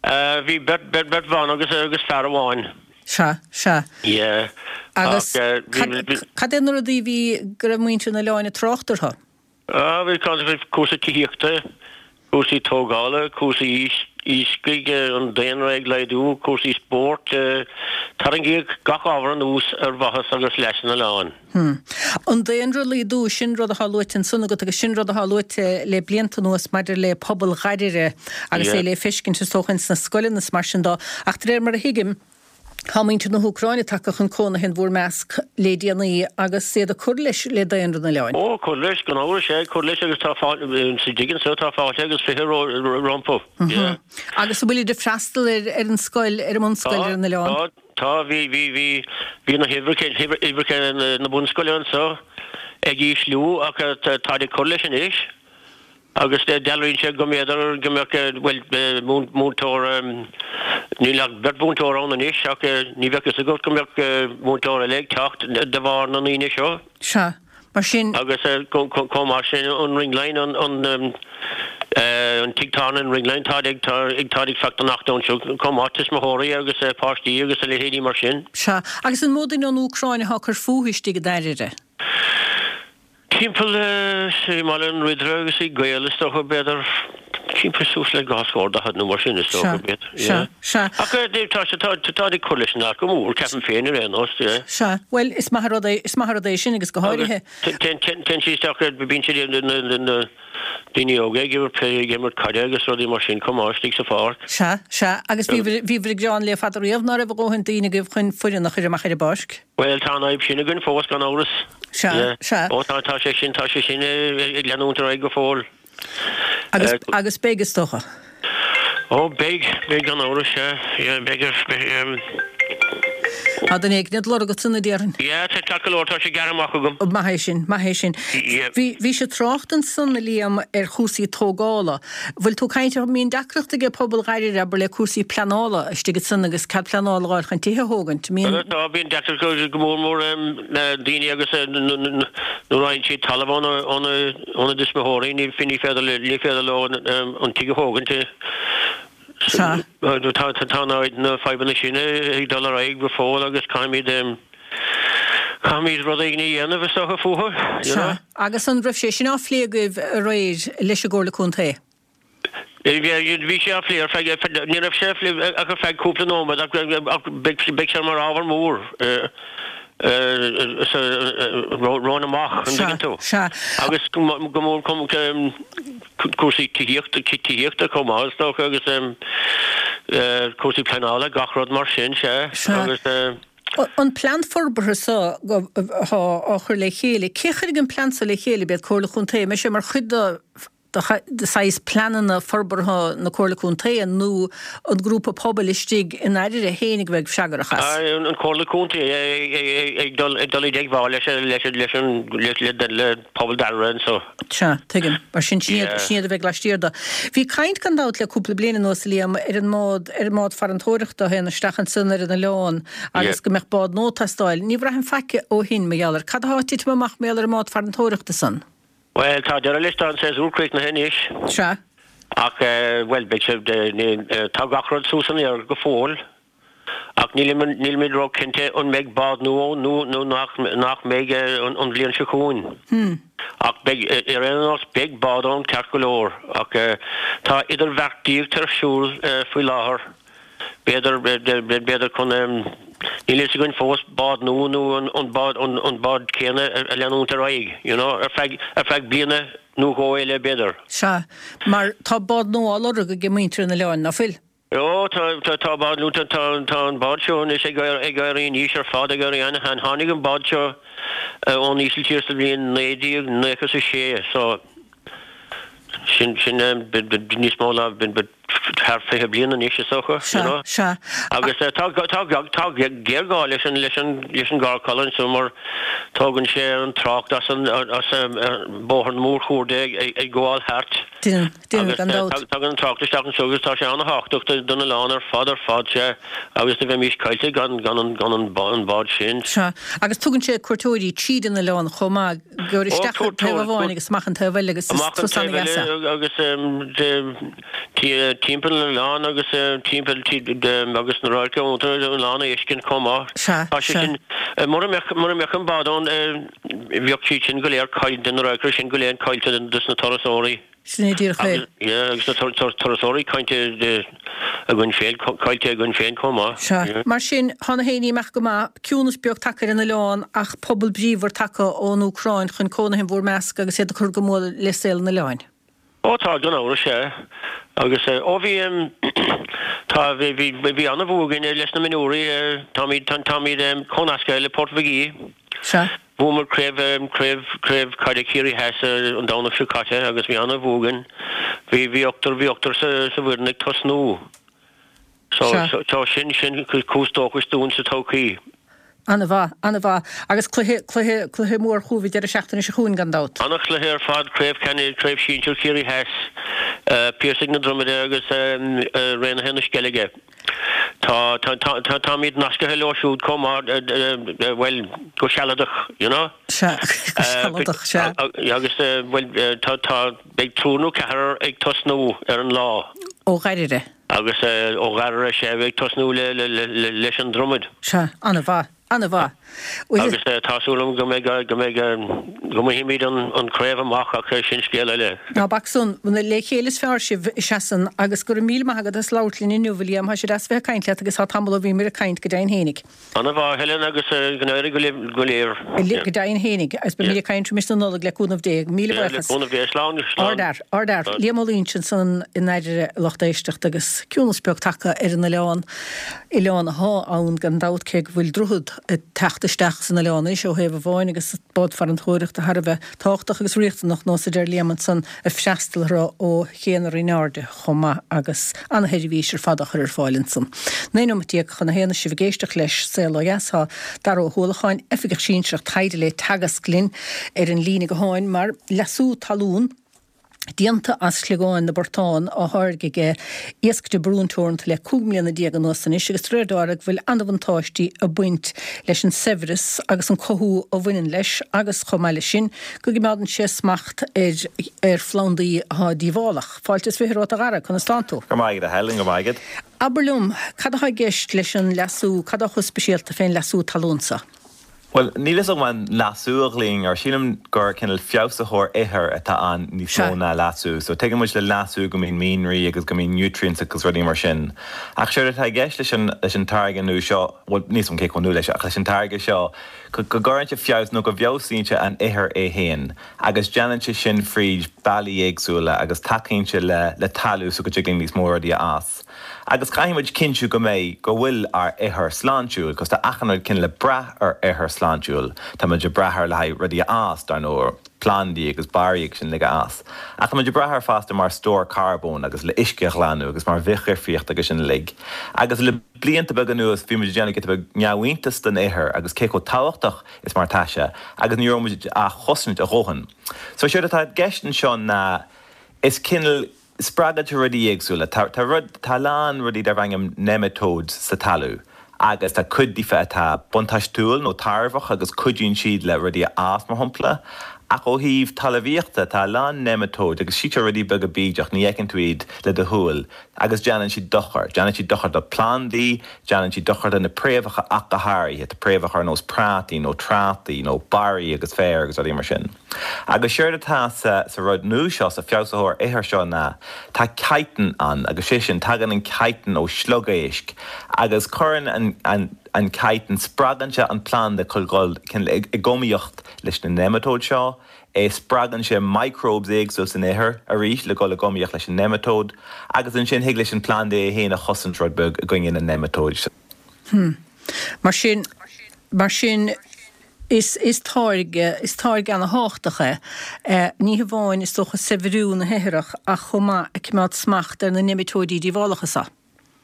Bhí beirt, beirt, beirt bhan agus, agus fear amháin. Sea, sea. Yeah. Agus cad, cad é na rudaí a bhí, go raibh muintir an oileáin ag trácht orthu? Ah, bhí cúrsaí tithíochta, cúrsaí tógála, cúrsaí iascaigh, an daonra ag laghdú, cúrsaí spóirt, tarraingíodh gach ábhar anuas ar mhaitheas agus leas an oileáin. Hm. An daonra ag laghdú, sin rud atá luaite ansan agat agus sin rud atá luaite le blianta anuas maidir le pobal Dhairire agus é le feiscint is dócha ins na scoileanna is mar sin dó. Ach de réir mar a thuigim, tá muintir na hÚcráine tagtha chun cónaithe in bhur measc le déanaí agus iad ag cur leis le daonra an oileáin. Ó, cur leis, gan amhras, sea, cur leis agus tá fáilte, sa dtigh anso tá fáilte agus fiche rompu. Yeah. Agus an bhfuilid ag freastal ar an scoil, ar an mbunscoil ar an oileán? Tá, tá. Tá, bhí, bhí, bhí, bhí na huimhreacha, uimhreacha na bunscoile anso ag ísliú ach táid ag cur leis anois agus dealraíonn sé go mb'fhéidir go mbeadh, bhuel, múinteoir, níl ach beirt mhúinteoir ann anois ach ní bheadh fhios agat go mbeadh múinteoir eile ag teacht de bharr na ndaoine seo. Sea. Mar sin. Agus chomh maith sin, an Ringline, an tigh tábhairne an Ringline, táid ag táid ag fanacht anseo chomh maith, tuismitheoirí agus páistí agus a leithéidí mar sin. Sea. Agus an mó duine ón Úcráin atá ag cur fúthu istigh i nDairire? Timpeall i mBaile an Ridire agus i gCaol is dócha, b'fhéidir Timpeall suas le dhá scór daichead nó mar sin is dócha, b'fhéidir. Sea, sea. Ach tá sé, tá, tá ag cur leis an áit go mór, ceapaim féin ar aon nós, yeah. Sea, bhuel, is maith an rud é, is maith an rud é sin agus go háirithe. Téann, téann siad isteach, bíonn siad, na, na, na daoine óga ag imirt, ag imirt caide agus rudaí mar sin chomh maith istigh sa pháirc. Sea, sea, agus bhíobhair, bhíobhair ag gearán le fada riamh ná raibh a dhóthain daoine agaibh chun foireann a chur amach ar an bpáirc. Bhuel, tá an fhadhb sin againn fós, gan amhras. Sea, sea. Ó, tá, tá sé sin, tá sé sin ag leanúint ar aghaidh go fóill. Agus, agus beidh, is dócha. Ó, beidh, beidh gan amhras, sea, yeah, beidh, beidh, Tá duine éigin ag lorg agat ansan, a déarfainn. Yeah, tá ceart go leor, tá sé gearrtha amach agam. Maith é sin, maith é sin. Yeah. Bhí, bhí sé trácht ansan, a Liam, ar chúrsaí tógála. Bhfuil tú ag caint ar, mbíonn deacracht ag pobal Dháiríre, abair, le cúrsaí pleanála istigh ansan agus cead pleanála a fháil chun tithe a thógaint. Mbíonn. Tá, bíonn deacracht go mór mór le daoine agus nuair a fhaigheann siad talamh óna, óna, óna dtuismitheoirí, ní, ní féidir, ní féidir leo an tigh a thógaint. Sea. Tá, tá na fadhbanna sin ag dul ar aghaidh go fóill agus caithfimid, caithfimid rud éigin a dhéanamh is dócha fúthu, you know. Sea. Agus an raibh sé sin á phlé agaibh aréir leis an gComhairle Contae? Bhí sé á phlé ar feadh, ní raibh sé á phlé ach ar feadh cúpla nóiméad ach beidh, beidh sé mar ábhar mór romhainn amach, an dtuigeann tú? Sea, sea. Agus go mór cúrsaí tithíochta, tithíochta chomh maith is dócha agus cúrsaí pleanála, gach rud mar sin, sea. Sea. Agus. An plean forbartha seo atá á chur le chéile, cé a chuirfidh an plean seo le chéile, b'iad Comhairle Chontae, an mbeidh sé mar chuid de de saghas pleananna forbartha na Comhairle Contae nó an grúpa pobail istigh i nDairire fhéinig a bheidh freagrach as? An Chomhairle Contae ag dul i dteagmháil leis an le pobal Dháirire anseo. Sea, tuigim. Mar sin, sin iad a bheidh laistiar de. Bhí caint gan dabht le cúpla bliain anuas, a Liam, ar an mbád, ar an mbád farantóireachta a théann isteach ansan ar an oileán agus go mbeadh bád nua ag teastáil. Ní bhraithim faic ó shin mar gheall air. Cad atá ag titim amach mar gheall ar an mbád farantóireachta san? Bhuel, tá deireadh leis, tá an séasúr críochnaithe anois. Sea. Ach, bhuel, beidh sé, tá gach rud suas san aer go fóill. Ach nílimid, nílimid ró-chinnte an mbeidh bád nua ann nó, nó nach, nach mbeidh an bhliain seo chugainn. Ach beidh, ar aon nós, beidh bád ann ceart go leor. Ach tá idirbheartaíocht ar siúl faoi láthair. B'fhéidir, b'fhéidir chun, níl fhios againn fós, bád nua nó an bád, an bád céanna a leanúint ar aghaidh, you know, ar feadh, ar feadh bliana nó dhó eile b'fhéidir. Sea, mar tá bád nua á lorg ag muintir an oileáin, ná fuil? Ó, tá, tá, tá bád nua, tá, tá an bád seo anois ag, ag éirí in aois ar fad, ag éirí ana-shean. Tháinig an bád seo ón Ísiltír sa bhliain naoi déag nócha is a sé, so Sin, sin níos mó ná thar fiche bliain anois is dócha, you know. Sea, sea. Agus tá, tá, tá géarghá leis an, leis an, leis an gcarrcholg anso mar tógann sé an trácht as an, as bóthar na mórchuarda ag, ag gabháil thart. Déanann, déanann gan Agus dabht. tagann an trácht isteach anso agus tá sé ana-thábhachtach don oileán ar fad, ar fad, sea, agus do bheimís caillte gan, gan an, gan an bád sin. Sea, agus tugann sé cuairteoirí tríd an oileán chomh maith. Gur isteach an taobh amháin agus amach an taobh eile agus is Amach an turas taobh eile ana-dheas é. agus timpeall an oileáin agus timpeall agus na radhairc iontu an oileán a fheiscint chomh maith. Sea, Tá sé sea. sin, mura mbeadh, mura mbeadh an bád ann bheadh siad sin go léir caillte, na radhairc sin go léir caillte dos na turasóirí. Sin é díreach é. Agus, yeah, agus na turasóirí caillte againn féin, caillte againn féin chomh maith. Sea. Yeah. Mar sin, tá na héinní ag imeacht go maith, ciúnas beag tagtha ar an oileán ach pobal bríomhar tagtha ón Úcráin chun cónaithe in bhur measc agus iad ag cur go mór le saol an oileáin. Ó tá, gan amhras, sea. Agus, ó bhí, tá, bhí, bhí, bhí an-bhua againn leis na mionúirí, táimid, táimid comhnasctha le Port Mhig Aoidh. Sea. Bhuamar craobh, craobh, craobh caide Chiarraí Theas an Domhnach seo caite agus bhí an-bhua againn. Bhí, bhí ochtar, bhí ochtar sa, sa bhfoireann ag tosnú. So, Sea. so, so sin, sin cúis dóchais dúinn sa todhchaí. An-mhaith, an-mhaith. Agus cluiche, cluiche, cluiche mór chugaibh an deireadh seachtaine seo chugainn gan dabht. An-chluiche ar fad, craobh ceannais, craobh sinsir Chiarraí Theas, Piarsaigh na Dromoda agus Raonaithe na Sceilge. Tá, tá, tá, tá, táimid nascaithe leo siúd chomh maith, bhuel, go sealadach, you know. Sea, go sealadach, sea. Agus, bhuel, tá, tá, beidh triúr nó ceathrar ag tosnú ar an lá. Ó Dháirire. Agus ó Dháirire, sea, ag tosnú le, le, le, leis an Dromad. Sea, an-mhaith, an-mhaith. Agus tá súil agam go mbeidh go mbeidh go mbainfimid an an craobh amach ach sin scéal eile. Ná bac san, le chéile is fearr sibh, seasann agus go raibh míle maith agat as labhairt linn inniu, a Liam, tá sé deas bheith ag caint leat agus tá tamall ó bhíomar ag caint, go deimhin fhéinig. Ana mhaith, Helen, agus go n-éirí go libh go léir. Go deimhin fhéinig, agus beimid ag caint roimis na Nollag le cúnamh Dé. Míle buíochas. Le cúnamh Dé, slán, slán. Ardfhear, ardfhear. Liam Ó Loingsigh ansan in aire lucht éisteachta agus ciúnas beag tagtha ar an oileán, oileán athá ann gan dabht cé go bhfuil droichead ag teacht isteach san oileán anois ó thaobh amháin agus bád farantóireachta thar a bheith tábhachtach agus riachtanach nós a deir Liam ansan ag freastal orthu ó Ché na Rinne Airde chomh maith agus ana-sheirbhís ar fad á chur ar fáil ansan. Naoi nóimeat déag chun a haon is sibh ag éisteacht leis Saol Ó Dheas tá Dara Ó hUallacháin, Oifigeach Sinsearach Taighde le Teagasc linn ar an líne gutháin mar leasú talún déanta as sliogáin na bportán á tháirgeadh ag Iasc de Brún Teoranta le cúig mbliana déag anuas anois agus de réir Dara go bhfuil an-bhuntáistí ag baint leis an saibhreas agus an cothú a bhaineann leis agus chomh maith leis sin go gcoimeádann sé smacht ar ar phlandaí atá díobhálach. Fáilte is fiche romhat a Dhara, conas tánn tú? Go maith agat a Helen, go maith agat. Abair liom, cad atá i gceist leis an leasú, cad atá chomh speisialta fén leasú talún seo? Bhuel, níl fhios agam an leasú a ghlaofainn air, sílim gur cineál feabhsaitheoir ithir atá ann níos mó ná leasú. So tuigeann muid le leasú go mbíonn mianraí agus go mbíonn nutrients agus rudaí mar sin. Ach séard atá i gceist leis an leis an táirge nua seo, bhuel níl fhios agam cé chomh nua leis ach leis an táirge seo, go go gcuireann sé feabhas nó go bhfeabhsaíonn sé an ithir é féin agus déanann sé sin fríd bealaí éagsúla agus tacaíonn sé le le talamh so go dtig linn níos mó rudaí a fhás. Agus caithfidh muid cinntiú go mbeidh, go bhfuil ár ithir sláintiúil, 'cause tá achan rud cineál ag brath ar ithir sláintiúil. Tá muid ag brath air le haghaidh rudaí a fhás, dar ndóigh, plandaí agus barraí agus sin uilig a fhás. Ach tá muid ag brath air fosta mar stór carbóin agus le uisce a ghlanadh agus mar bhithdhifríocht agus sin uilig. Agus le blianta beaga anuas bhí muid ag déanamh giota beag neamhiontas den ithir agus cé chomh tábhachtach is mar atá sé agus ní raibh muid á chosaint a dhóthain. So séard atá i gceist anseo ná is cineál Spreagann sé rudaí éagsúla. Tá tá rud, tá a lán rudaí darb ainm nematodes sa talamh agus tá cuid díofa atá buntáistiúil nó tairbheach agus cuidíonn siad le rudaí a fhás, mar shampla. Ach ó thaobh talmhaíochta, tá a lán nematode agus siad seo rudaí beaga bídeach, ní fheiceann tú iad le do shúil agus déanann siad dochar. Déanann siad dochar do phlandaí, déanann siad dochar do na préamhacha ach go háirithe, tá préamhacha ar nós prátaí nó trátaí nó barraí agus féar agus rudaí mar sin. Agus séard atá sa sa rud nua seo, sa feabhsaitheoir ithir seo ná, tá chitin ann agus sé sin, tagann an chitin ó sliogéisc agus cuireann an an an chitin, spreagann sé an planda chun dhul cineál i i giomaíocht leis na nematode seo, eh spreagann sé microbes éagsúil san ithir arís le dhul i giomaíocht leis an nematode agus ansin thig leis an planda é féin a chosaint rud beag i gcoinne na nematode. Hmm. Mar sin, mar sin, is, is táirge, is táirge ana-thábhachtach é, ní hamháin is dócha saibhriú na hithreach ach chomh maith ag coimeád smacht ar na neamatóidí díobhálacha seo.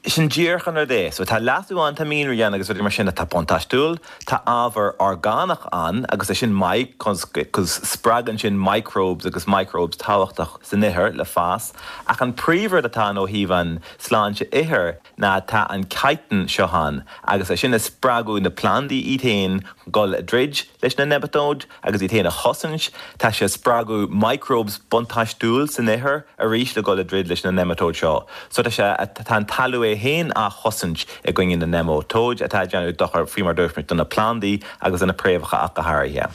Sin díreach an rud é. So tá leasú ann, tá mianraí ann agus rudaí mar sin atá buntáistiúil. Tá ábhar orgánach ann agus é sin maith 'cause spreagann sin microbes agus microbes tábhachtach san ithir le fás. Ach an príomhrud atá ann ó thaobh an sláinte ithir ná tá an chitin seo ann agus é sin ag spreagadh na plandaí iad féin dhul i dtroid leis na nematode agus iad féin a chosaint. Tá sé ag spreagadh microbes buntáistiúil san ithir arís le dhul i dtroid leis na nematode seo. So tá sé, tá an talamh é féin á chosaint i gcoinne na nematode atá ag déanamh dochar, faoi mar dúirt muid, do na plandaí agus do na préamhacha ach go háirithe.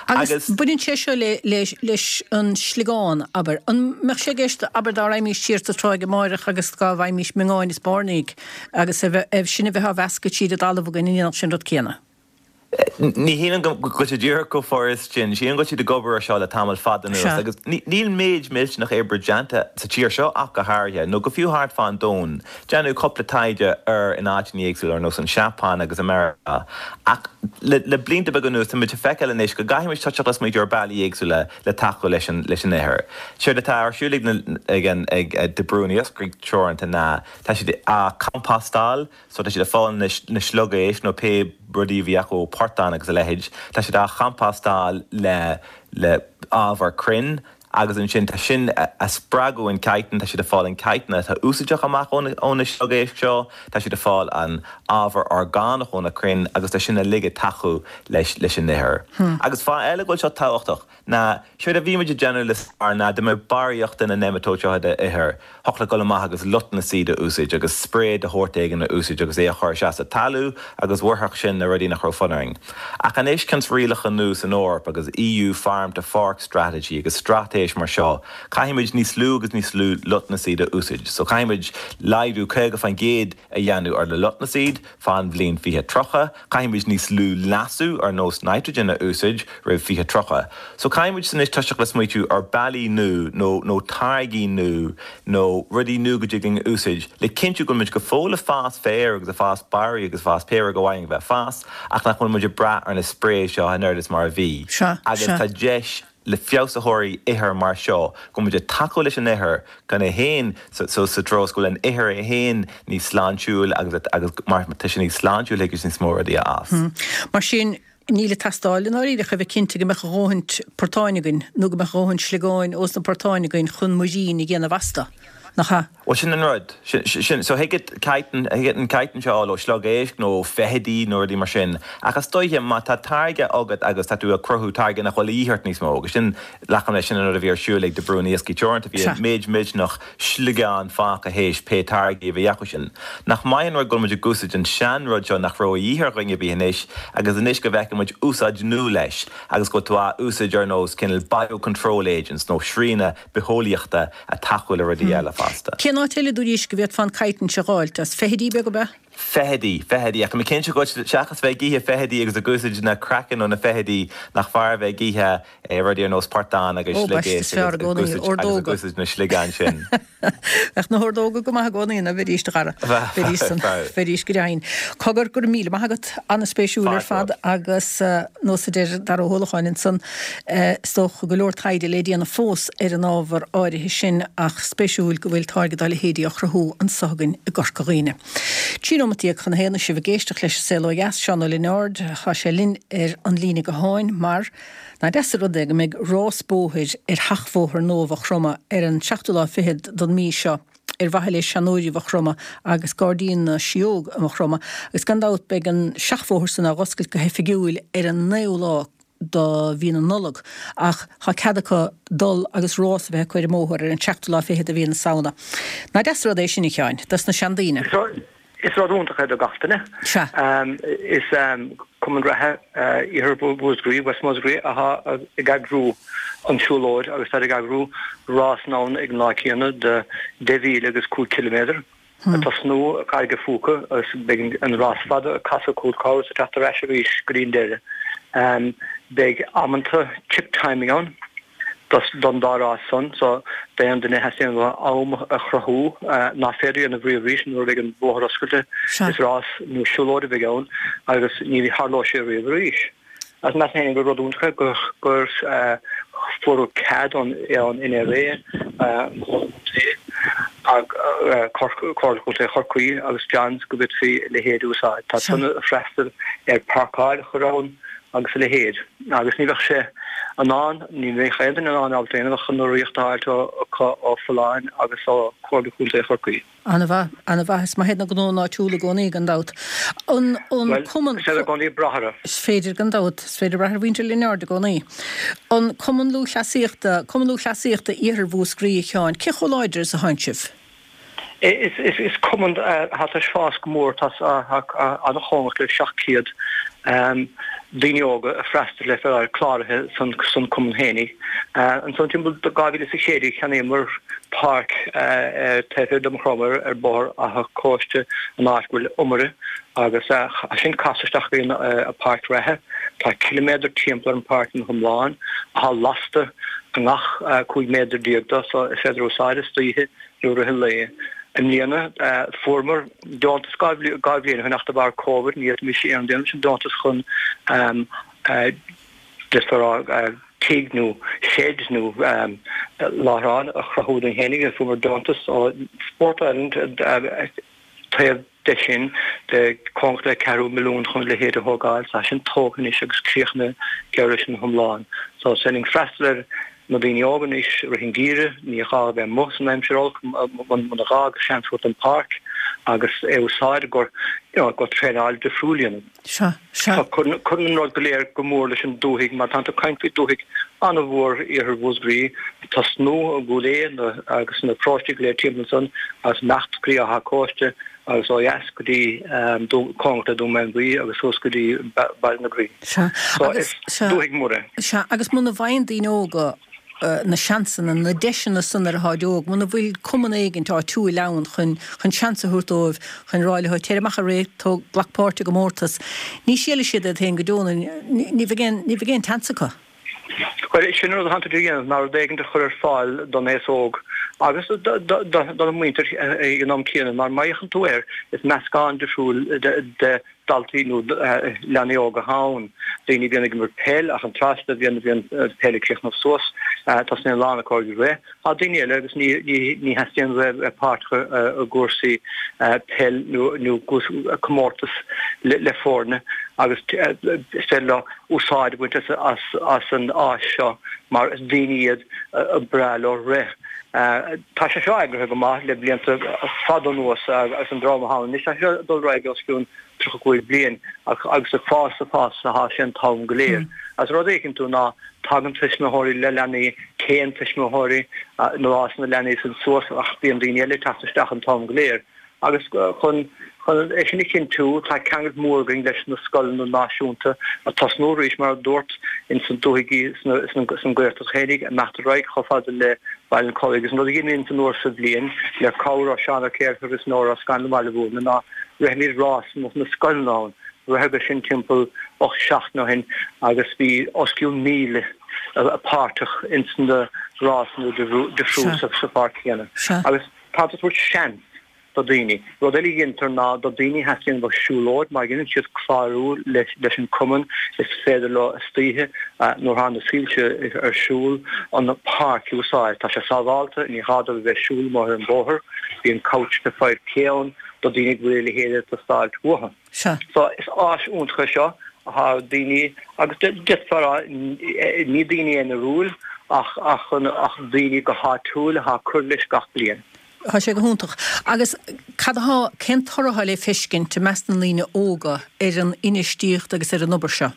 Agus Agus. baineann sé seo le, le, leis an sliogán, abair. An mbeadh sé i gceist, abair, dá raghaimís siar sa tráigh amáireach agus dá bhfaighimís miongáin is bairnigh agus a bheith, sin a bheith á mheascadh tríd an dtalamh againn, an ndéanfadh sin an rud céanna? Ní shílim go bhfuil sé díreach chomh furast sin. Sílim go bhfuil siad ag obair ar seo le tamall fada anuas Sea. agus níl méid millteanach oibre déanta sa tír seo ach go háirithe, nó go fiú thart fán domhan. Déanadh cúpla taighde air in áiteanna éagsúla ar nós an Seapáin agus i Meiriceá ach le le blianta beaga anuas tá muid ag feiceáil anois go gcaithfidh muid toiseacht ag smaointiú ar bealaí éagsúla le tacú leis an leis an ithir. Séard atá ar siúl ag na ag an ag De Brún Iascairí Teoranta ná tá siad á compóstáil So tá siad ag fáil na sliogéisc nó pé rudaí a bhí acu ó portán agus a leithéid, tá siad á chompóstáil le le ábhar crainn agus ansin tá sin a spreagadh an chitin, tá siad ag fáil an chitin atá úsáideach amach ó na sliogéisc seo, tá siad ag fáil an ábhar orgánach ó na crainn agus tá sin uilig ag tacú leis leis an ithir. Agus fáth eile go bhfuil seo tábhachtach ná séard a bhí muid ag déanamh le stair ná dá mbeadh barraíocht de na nematode seo i d'ithir, thiocfadh leat dul amach agus lotnaidicíd a úsáid agus spray de shórt éigin a úsáid agus é a chur isteach sa talamh agus mharódh sin na rudaí nach raibh fonn orainn. Ach anois cionn is rialacha nua san Eoraip agus EU Farm to Fork Strategy agus straitéis mar seo, caithfimid níos lú agus níos lú lotnaidicíd a úsáid. So caithfimid laghdú caoga faoin gcéad a dhéanamh ar na lotnaidicíd fán bhliain fiche tríocha, caithfimid níos lú leasú ar nós nitrogen a úsáid roimh fiche tríocha. So caithfimid anois toiseacht le smaoitiú ar bealaí nua nó nó táirgí nua nó rudaí nua go dtig linn a úsáid le cinntiú go bhfuil muid go fóill ag fás féir agus ag fás barraí agus ag fás pé rud go bhfaigheann a bheith fás ach nach bhfuil muid ag brath ar na sprays seo an oiread is mar a bhí. Sea, Agus sea. tá deis le feabhsaitheoirí ithir mar seo go bhfuil muid ag tacú leis an ithir gan é féin so so sa treo is go bhfuil an ithir é féin níos sláintiúil agus agus mar tá sé níos sláintiúil thig leis níos mó rudaí a fhás. Mar sin, níl ag teastáil i ndáiríre ach a bheith cinnte go mbeadh a dhóthaint portáin againn nó go mbeadh a dhóthaint sliogáin ós na portáin againn chun muirín a dhéanamh astu, nach ea? Bhuel, sin an rud. Sin, sin, so thig chitin, thig an chitin seo a fháil ó shliogéisc nó ó feithidí nó rudaí mar sin. Ach is dóiche má tá táirge agat agus tá tú ag cruthú táirge nach bhfuil a dhíth ort níos mó, agus sin, glacaim leis, sin an rud a bhí ar siúl ag De Brún Iascaigh Teoranta, bhí Sea. méid millteanach sliogán fágtha théis pé táirgí a bhí acu sin. Nach maith an rud go bhfuil muid ag úsáid an seanrud seo nach raibh a dhíth ar dhuine ar bith anois agus anois go bhfeiceann muid úsáid nua leis agus go bhfuil tú á úsáid ar nós cineál biocontrol agents nó srianadh bitheolaíochta ag tacú le rudaí eile fosta. Cén áit eile dúraís go bhféadfá an chitin seo a dh'fháilt as? Feithidí beag ab ea? Feithidí, feithidí, ach tá mé cinnte go seachas bheith ag ithe feithidí agus ag úsáid na craiceann ó na feithidí nach fearr a bheith ag ithe rudaí ar nós portán agus Ó, baiste, sliogéisc is fearr i agus gcónaí, ag úsáid agus ag ordóga. úsáid na sliogán sin. Bheadh na hordóga go maith i gcónaí ná bheidís do chara. Bheidís san, bheidís go deimhin. Cogar, go raibh míle maith agat, an-spéisiúil ar Fáilte fad agus nós a deir Dara Ó hUallacháin ansan, is dócha go leor taighde le déanamh fós ar an ábhar áirithe sin ach spéisiúil go bhfuil táirge dá leithéidí á chruthú anso againn i gCorca Dhuibhne. Trí nóimeat déag chun a haon sibh ag éisteacht leis an Saol Ó Dheas, Seán Ó Lionáird, tá sé linn ar an líne gutháin mar nach deas an rud é go mbeidh rás bóthair ar sheachbhóthar nua Mhaigh Chromtha ar an seachtú lá fichead don mhí seo ar mhaithe le seanóirí Mhaigh Chromtha agus Gairdín na Sióg i Maigh Chromtha agus gan dabht beidh an seachbhóthar san á dh'oscailt go hoifigiúil ar an naoú lá do mhí na Nollag ach tá cead acu dul agus rás a bheith acu ar an mbóthar ar an seachtú lá fichead de mhí na Samhna. Nach deas an rud é sin a Sheáin, dos na seandaoine. Is rud iontach é do gach duine. Sea. Is cumann reatha Iarthar Mhúscraí, West Musgrave, atá ag eagrú an siúlóid agus tá ag eagrú rás ann ag an lá céanna de deich mhíle agus cúig ciliméadar. Ag tosnú i gCarraig an Phúca agus beidh an rás fada ag casadh Cúl Corr is ag teacht ar ais arís go dtí an deireadh. Beidh amanta chip timing ann don dá rás san so d'aon duine a theastaíonn uathu am a chruthú nach féidir a dhéanamh riamh arís nuair a bheidh an bóthar oscailte. Is rás nó siúlóid a bheidh ann agus ní tharlóidh sé riamh arís. Agus measaim féin gur rud iontach é gur gur fuaireadh cead ón NRA, Comhairle Contae Chorcaí agus Johns go bhféadfaí a leithéid a úsáid. Tá san ag freastal ar páirceáil a chur ann agus a leithéid. Agus ní bheadh sé in ann, ní bheadh aon duine in ann ábalta aon ach an urraíocht a fháilt ó Folláin agus ó Chomhairle Contae Chorcaí. Ana-mhaith, ana-mhaith. Is maith iad na gnónna áitiúla i gcónaí, gan dabht. An, an Cumann. Bhuel, is féidir i gcónaí brath orthu. Is féidir, gan dabht. Is féidir brath ar mhuintir Lionáird i gcónaí. An Cumann Lúthchleasaíochta, Cumann Lúthchleasaíochta Iarthar Mhúscraí, a Sheáin, cé chomh láidir is atánn sibh? Is cumann atá tar éis fás go mór, tá an-chóngarach le seacht gcéad daoine óga ag freastal le bheith cláraithe san cumann fhéinig. Ansan timpeall dhá mhíle is a sé déag cheannaíomar páirc taobh thiar de Mhaigh Chromtha ar Bhóthar Achadh Cóiste an áit go bhfuil iomaire agus as sin casadh isteach go dtí an páirc reatha. Tá ciliméadar timpeall ar an páirc ina hiomlán atá lasta i ngach cúig méadar déag de so is féidir úsáid istoíche nó i rith an lae. I mbliana fuaireamar deontas dhá bhliain ó shin ach de bharr Covid ní fhéadfaimis aon déanamh leis an deontas chun just a rá tigh nó shed nó láithreán a chruthú dúinn fhéinig. Fuaireamar deontas ó Sport Ireland taobh de sin de cóngarach le ceathrú milliún chun a leithéid a thógáil. Tá sin tógtha anois agus críochnaithe geall leis ina hiomlán. So is féidir linn freastal ar na daoine óga anois i rith an gheimhridh, ní gá a bheith amuigh san aimsir olc muna gá agus seans a thabhairt don pháirc agus é a úsáid i gcomhair you know i gcomhair traenáil difriúil a dhéanamh. Sea, sea. So cuireann cuireann an rud go léir go mór leis an dúthaigh mar tánn tú ag caint faoi dúthaigh an-mhór iarthar Mhúscraí, ag tosnú i gCúil Aodha agus na paróistí go léir timpeall ansan agus imeacht go dtí Áth Cóiste agus ó dheas go dtí cóngarach le Dún Mánmhaí agus suas go dtí Baile na Graí. Sea, So is dúthaigh mhór é. Sea, agus muna bhfaigheann daoine óga na seansanna, na deiseanna san nuair atáid óg, muna bhfuil cumann éigint áitiúil ann chun chun seans a thabhairt dóibh, chun rá leo, téir amach ag rith, tóg, glac páirt i gcomórtas, ní shílfidh siad iad féin go deo, ní bheidh aon, ní bheidh aon tseans acu. Bhuel, sin an rud atánn tú a dhéanamh ná rud éigin a chur ar fáil don aos óg agus don mhuintir ag an am céanna mar má fhéachann tú air is meascán difriúil de dhaltaí nó leanaí óga atá ann. Daoine a bhíonn ag imirt peil ach an tráth a bhíonn bhíonn peil ag críochnú suas tosnaíonn a lán acu ag rith. Tá daoine eile agus ní ní theastaíonn uathu bheith páirteach i gcúrsaí peil nó nó comórtas le foirne agus is féidir leo úsáid a bhaint as as an áis seo mar is daoine iad a breá leo rith. Tá sé seo eagraithe go maith le blianta fada anuas agus an dream atá ann anois tá sé seo ag dul ar aghaidh os cionn tríocha cúig bliain agus ag fás ag fás atá sé an t-am go léir. Agus an rud a fheiceann tú ná tagann tuismitheoirí le leanaí, téann tuismitheoirí nuair a fhásann na leanaí san suas ach bíonn daoine eile ag teacht isteach an t-am go léir. Agus chun chun é sin a chinntiú, tá ceangal mór againn leis na scoileanna náisiúnta ag tosnú arís, mar a dúrt, ins an dúthaigh san Ghaeltacht fhéinig, imeacht ar aghaidh chomh fada le Baile an Chollaigh. Agus an rud a dhéanaimid an uair sa bhliain, le cabhair ó Seán Ó Céileachair agus Nóra O'Scannlain i mBaile Mhúirne, ná rithimid rás na scoileanna ann. Ritheadh sin timpeall ocht seachtain ó shin agus bhí os cionn míle páirteach ins na rásanna difriúil sa pháirc chéanna. Agus tá tú ag tabhairt seans do daoine. Rud eile a dhéantar ná do daoine a theastaíonn a bheith ag siúlóid, má dhéanann siad clárú leis an cumann is féidir leo istoíche nuair atá na soilse ar siúl an páirc a úsáid. Tá sé sábhálta, ní gá dóibh a bheith ag siúl amuigh ar an bóthar, bíonn couch na five K ann do daoine go bhfuil a leithéid ag teastáilt uathu. Sea. So is áis iontach é seo atá daoine agus d'fhéadfá a rá ní daoine aonarúil ach ach ach daoine go háitiúil atá ag cur leis gach bliain. Tá sé go hiontach. Agus cad atá, cén toradh atá le feiscint i measc na ndaoine óga ar an infheistíocht agus ar an obair seo?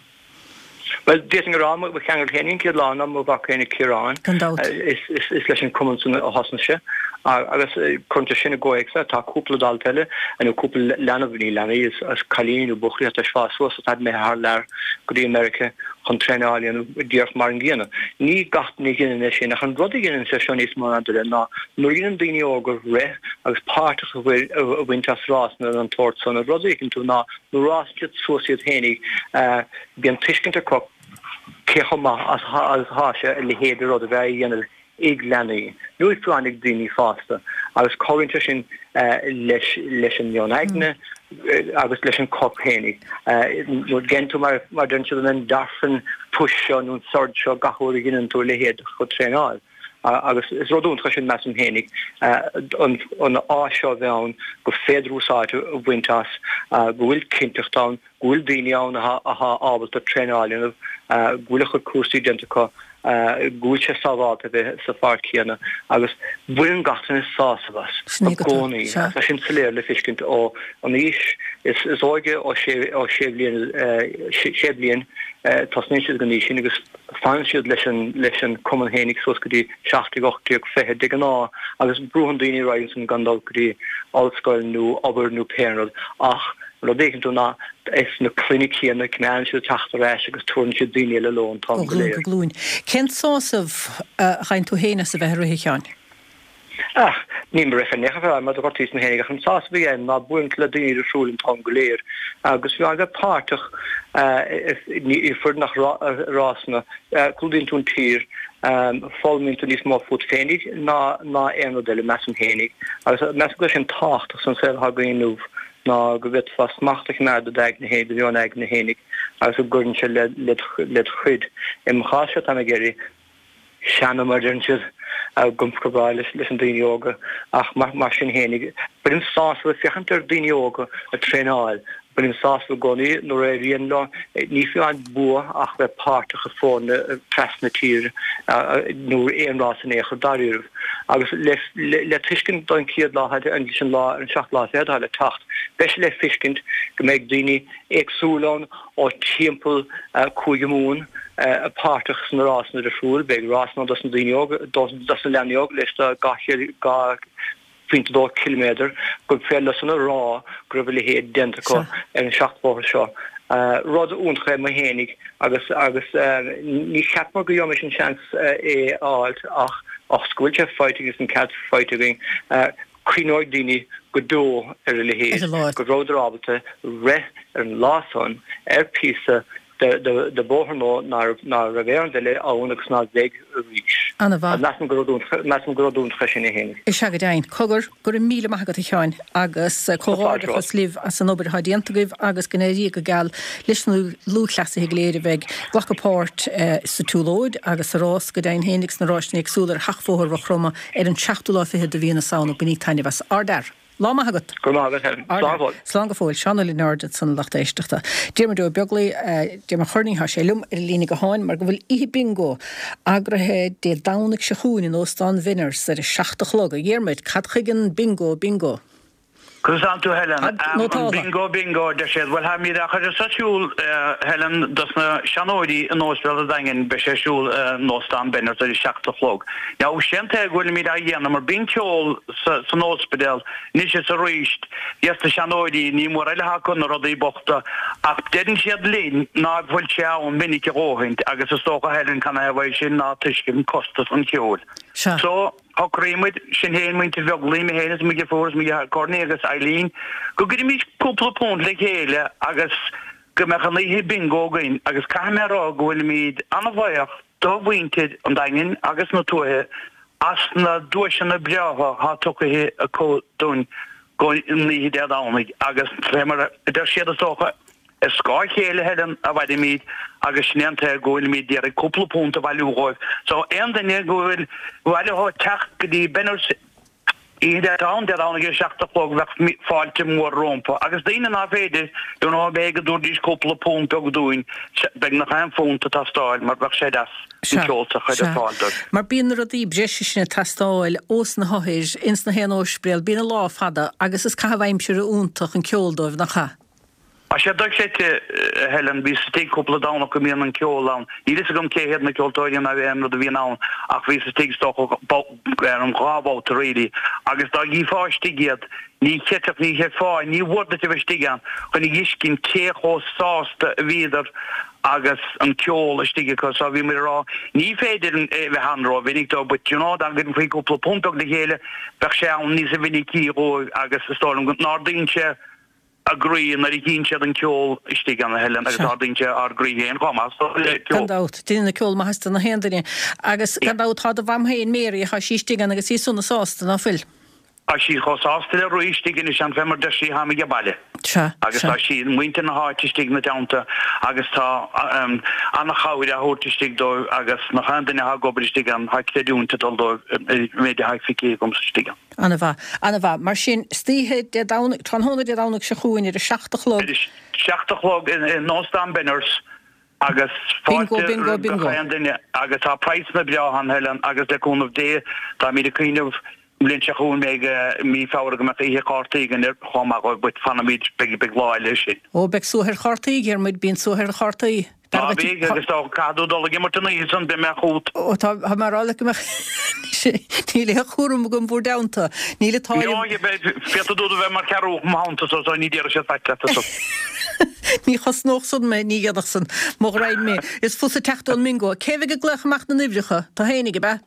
Bhuel, d'fhéadfainn a rá, mo cheangal féin an chéad lá ná mo mhac féin Ciarán. Gan dabht. Is leis an cumann san a thosnaigh sé agus cuireann sé sin i gcomhthéacs é. Tá cúpla dalta eile, nó cúpla leanbh, ní leanaí, is cailíní nó buachaillí atá tar éis fás suas atá imithe thar lear go dtí Meiriceá chun traenáil a dhéanamh díreach mar an gcéanna. Ní gach duine a dhéanann é sin ach an rud a dhéanann sé seo níos mó ná duine ná nuair a dhéanann daoine óga rith agus páirt a bhaint as rásanna den tsórt san, an rud a fheiceann tú ná nuair a fhásann siad suas iad féinig, Bíonn tuiscint acu cé chomh maith agus atá sé a leithéid de rud a bheith á dhéanamh ag leanaí, nó fiú amháin ag daoine fásta, agus cabhraíonn sé sin leis leis an meon aigne agus leis an corp féinig. Nuair a dhéanann tú, mar a deireann siad, an endorphin push seo nó an surge seo gach uair a dheineann tú a leithéid de traenáil. Agus is rud iontach é sin, measaim féinig, an áis seo a bheith ann gur féidir úsáid a bhaint as, go bhfuil cinnteacht ann, go bhfuil daoine ann atá ábalta traenáil a dhéanamh, go bhfuil a chuid cúrsaí déanta acu, go bhfuil sé sábhálta a bheith sa pháirc chéanna agus baineann gach duine sásamh as i gcónaí. Tá sin soiléir le feiscint ó an aois is óige, ó sé bhliain, sé bliain, tosnaíonn siad ag an aois sin agus fanann siad leis an leis an cumann fhéinig suas go dtí seacht déag, ocht déag, fiche de ghnáth agus brúann daoine ar aghaidh ansan gan dul go dtí ollscoil nó obair nó pé rud ach Rud a fheiceann tú ná is na clainne céanna, coimeádann siad ag teacht ar ais agus tabharann siad daoine eile leo an t-am go léir. Ó ghlúin go glúin. Cén sásamh a fhaigheann tú féin as a bheith ag rith, a Sheáin? Ach, nílim ag rith in aon chor mar do ghortaíos mé féinig ach an sásamh a fhaighim ná bualadh le daoine difriúil an t-am go léir agus fiú amháin bheith páirteach i foireann rásanna, clúdaíonn tú an tír, foghlaimíonn tú níos mó fút féinig ná ná aon rud eile, measaim féinig. Agus measaim go bhfuil sin tábhachtach san saol atá againn inniu. ná go bhféadfá smacht a choimeád i d'aigne fhéin, do mheon aigne fhéinig, agus go gcuireann sé led chuid. I mo chás-se, táim ag éirí seana, mar a deireann siad, go breá leis an daoine óga, ach mar sin fhéinig, bainim sásamh ag féachaint ar daoine óga ag traenáil, Bainim sásamh i gcónaí nuair a éiríonn leo, ní fiú an bua ach bheith páirteach i foirne trasna tíre nó aon rás in aon chor dáiríribh. Agus le tuiscint don chéad lá leis an lá ar an seachtú lá fichead atá le teacht, beidh sé le feiscint go mbeidh daoine éagsúla ann ó timpeall Cúige Mumhan páirteach sna rásanna difriúil. Beidh rásanna ann dos na daoine óga, dos na leanaí óga leis do dhá chéad dhá pointe dó ciliméadar, gur féidir leosan a rá go raibh a leithéid déanta acu ar an seachbhóthar seo. Rud iontach é mo fhéinig agus agus ní cheapamar go gheobhaimis an seans é a fháilt ach ach go bhfuil sé faighte agus an cead faighte againn, cuimhneoidh daoine go deo ar a leithéid, go rabhadar ábalta rith ar an lá san ar phíosa de bhóthar nua ná raibh aon rud eile ann agus ná bheidh arís. Ana-mhaith. Measaim gur measaim gur rud iontach é sin é fhéinig. Is ea go deimhin. Cogar, go raibh míle maith agat a Sheáin agus comhghairdeachas libh as an obair atá déanta agaibh agus go n-éirí go geal leis na lúthchleasaithe go léir a bheidh ag glacadh páirt sa tsiúlóid agus sa rás go deimhin féinig sna ráiseanna éagsúla ar Sheachbhóthar Mhaigh Chromtha ar an seachtú lá fichead de mhí na Samhna. Bainíg taitneamh as. Ardfhear. Lá maith agat. Go raibh maith agat, Helen. Slán go fóill. Slán go fóill. Seán Ó Lionáird ansan a lucht éisteachta. Diarmuid Ó Beaglaoi, Diarmuid Chornaí, tá sé liom ar an líne gutháin mar go bhfuil oíche bingo eagraithe Dé Domhnaigh seo chugainn in Óstán Bhenners ar a seacht a chlog. A Dhiarmuid, cad chuige an bingo bingo? Conas tánn tú Helen? An bingo bingo a deir siad. Bhuel táimid á chur ar siúl Helen dos na seanóirí in Ospidéal an Daingin beidh sé ar siúl in Óstán Benners ar a seacht a chlog. Now sé an tuige go bhfuilimid á dhéanamh mar bíonn ceol san ospidéal anois is arís dhes na seanóirí ní mór eile acu na rudaí bochta ach deireann siad linn ná fuil sé ann minic a dhóthaint agus is dócha Helen canathaobh é sin ná toisc an costas an cheoil. So Shocraigh muid, sinn féin, muintir Bheaglaoí, mé féin is mo dheirfiúr is mo dheartháir Corny agus Eileen, go gcuirfimis cúpla punt le chéile agus go mbeadh an oíche bingo againn agus caithfidh mé a rá go bhfuilimid an-bhuíoch do mhuintir an Daingin agus na tuaithe as na duaiseanna breátha atá tugtha acu dúinn don oíche Dé Domhnaigh agus fé mar a deir siad is dócha, Ar scáth a chéile, Helen, a mhairimid agus sin é an tuige go bhfuilimid d'iarraidh cúpla punt a bhailiú dhóibh. So, aon duine go bhfuil mhaith leo teacht go dtí Benners oíche Dé Domhnaigh, Dé Domhnaigh ar a seacht a chlog, bheadh fáilte mhór rómpa. Agus daoine ná féidir, you know, b'fhéidir go dtabharfaidís cúpla punt beag dúinn, beagnach aon phunt ag teastáil mar bheadh sé deas an ceol a chur ar fáil dóibh. Mar bíonn na rudaí breise sin ag teastáil ós na hothair ins na haon óispidéal, bíonn an lá fada agus is caitheamh aimsire iontach an ceol dóibh, nach ea? Tá sé dochreidte, a Helen. Bhíos istigh cúpla Domhnach go mbíonn an ceol ann. Níl fhios agam cé hiad na ceoltóirí ná aon rud a bhíonn ann ach bhíos istigh is dócha ar an dhá bhabhta really agus dá gcífeá istigh iad ní chreidfeadh, ní chreidfeá, ní mhór duit a bheith istigh ann chun a fheiscint cé chomh sásta a bhíodar agus an ceol istigh acu. So bhí muid ag rá ní féidir é a bheith ann ró-mhinic dóibh but you know dá gcuirfí cúpla punt beag le chéile bheadh sé ann níosa mhinicí dhóibh agus is dóigh liom go n-ardaíonn sé a gcroí nuair a chíonn siad an ceol istigh ann, a Helen, agus ardaíonn sé ár gcroí féin chomh maith so le ceol. Gan dabht, déanann an ceol maitheas do na haon duine. Agus gan dabht tá do mham féin, Mary, tá sí istigh ann agus í sona sásta, ná fuil? Tá sí chomh sásta le rí istigh anois ann fé mar deir sí, táim age baile. Sea, Agus sea. tá sí, muintir na háite istigh ina dteannta agus tá an-chabhair á thabhairt istigh dóibh agus nach aon duine atá ag obair istigh ann, tá creidiúint ag dul dóibh ar an méid atá feicthe agamsa istigh ann. Ana-mhaith. Ana-mhaith. Mar sin, istoíche Dé Domhnaigh, tráthnóna Dé Domhnaigh seo chugainn ar a seacht a chlog. Ar a seacht a chlog in Óstán Benners agus Bingo, fáilte bingo, roimh bingo. gach aon duine agus tá praghsanna breátha ann, Helen, agus le cúnamh Dé táimid ag cuimhneamh an bhliain seo chugainn beidh mí Feabhra go mbeadh oíche chártaí againn ar chomh maith dhóibh but fanfaimid, beidh, beidh lá eile sin. Ó, beidh suaith ar chártaí, a Dhiarmuid, bíonn suaith ar chártaí. Á bheidh, agus dá gcaithfidh tú dul ag imirt an oíche san, beidh mé chugat. Ó, tá, tá mé ag rá leat go mbeadh, níl aon chúram agam bhur dteannta. Níl an t-ádh liom. Beidh, féadfaidh tú do bheith mar cheathrúch mo theannta so, so ní déarfaidh siad faic leat ansan. Ní chosnódh san mé, ní dhéanfadh san. Mo ghraidhin mé. Is fusa teacht ón mbingo. Cé bheidh ag glaoch amach na n-uimhreacha? Tú fhéinig, ab ea?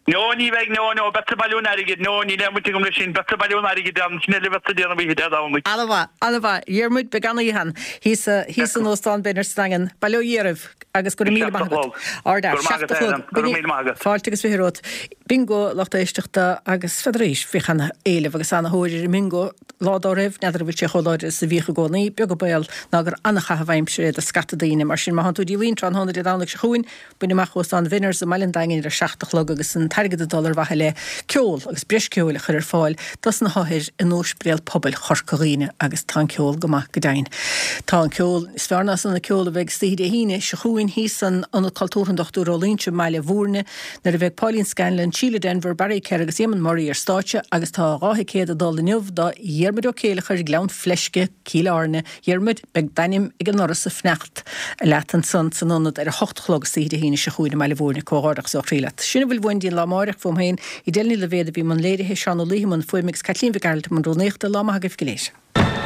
No, ní bheidh, no, no, beadsa ag bailiú an airgid, no, níl aon bhaint agam leis sin, beadsa ag bailiú an airgid ann, sin eile a bheadsa ag déanamh oíche Dé Domhnaigh. Ana-mhaith, ana-mhaith. Dhiarmuid, beidh an-oíche ann thíos, thíos in Óstán Benners sa Daingean. Bail ó Dhia oraibh agus go raibh míle Seacht a maith agat. chlog. Ardfhear. Go raibh maith Seacht agat, a chlog. Helen. Go raibh míle maith agat. Fáilte agus fiche romhat. Bingo, lucht éisteachta, agus n'fheadar arís, bhíodh ana-éileamh agus ana-thóir ar an mbingo lá dá raibh, n'fheadar an bhfuil sé chomh láidir is a bhíodh i gcónaí, beag an baol ná gur ana-chaitheamh aimsire é do scata daoine. Mar sin, má thánn tú díomhaoin tráthnóna Dé Domhnaigh seo chugainn, Bain amach Óstán Bhenners i mBaile an Daingin ar a seacht a chlog agus an t-airgead ag dul ar mhaithe le ceol agus breis ceoil a chur ar fáil dos na hothair in Ospidéal Pobail Chorca Dhuibhne agus tá an ceol go maith go deimhin. Tá an ceol is fearr ná san an ceol a bheidh istoíche Dé hAoine seo chugainn thíos san Ionad Cultúrtha an Dochtúir Ó Loingsigh i mBaile Bhúirne nuair a bheidh Pauline Scanlon, Síle Denvir, Barry Kerr agus Éamonn Murray ar stáitse agus tá dhá thicéad ag dul inniu do Dhiarmuid Ó Céileachair, Gleann Fleisce, Cill Airne. Dhiarmuid, beidh d'ainm ag an ndoras ag fanacht leat ansan san ionad ar a hocht a chlog istoíche Dé hAoine seo chugainn i mBaile Bhúirne. Comhghairdeachas ó chroí leat. Sin a bhfuil uainn go dtí an lá amáireach, fúm féin, Edel Ní Loibhéad a bhí i mbun léirithe, Seán Ó Laoithe i mbun fuaime agus Caitlín Mhic Gearailt i mbun rúnaíochta. Lá maith agaibh go léir.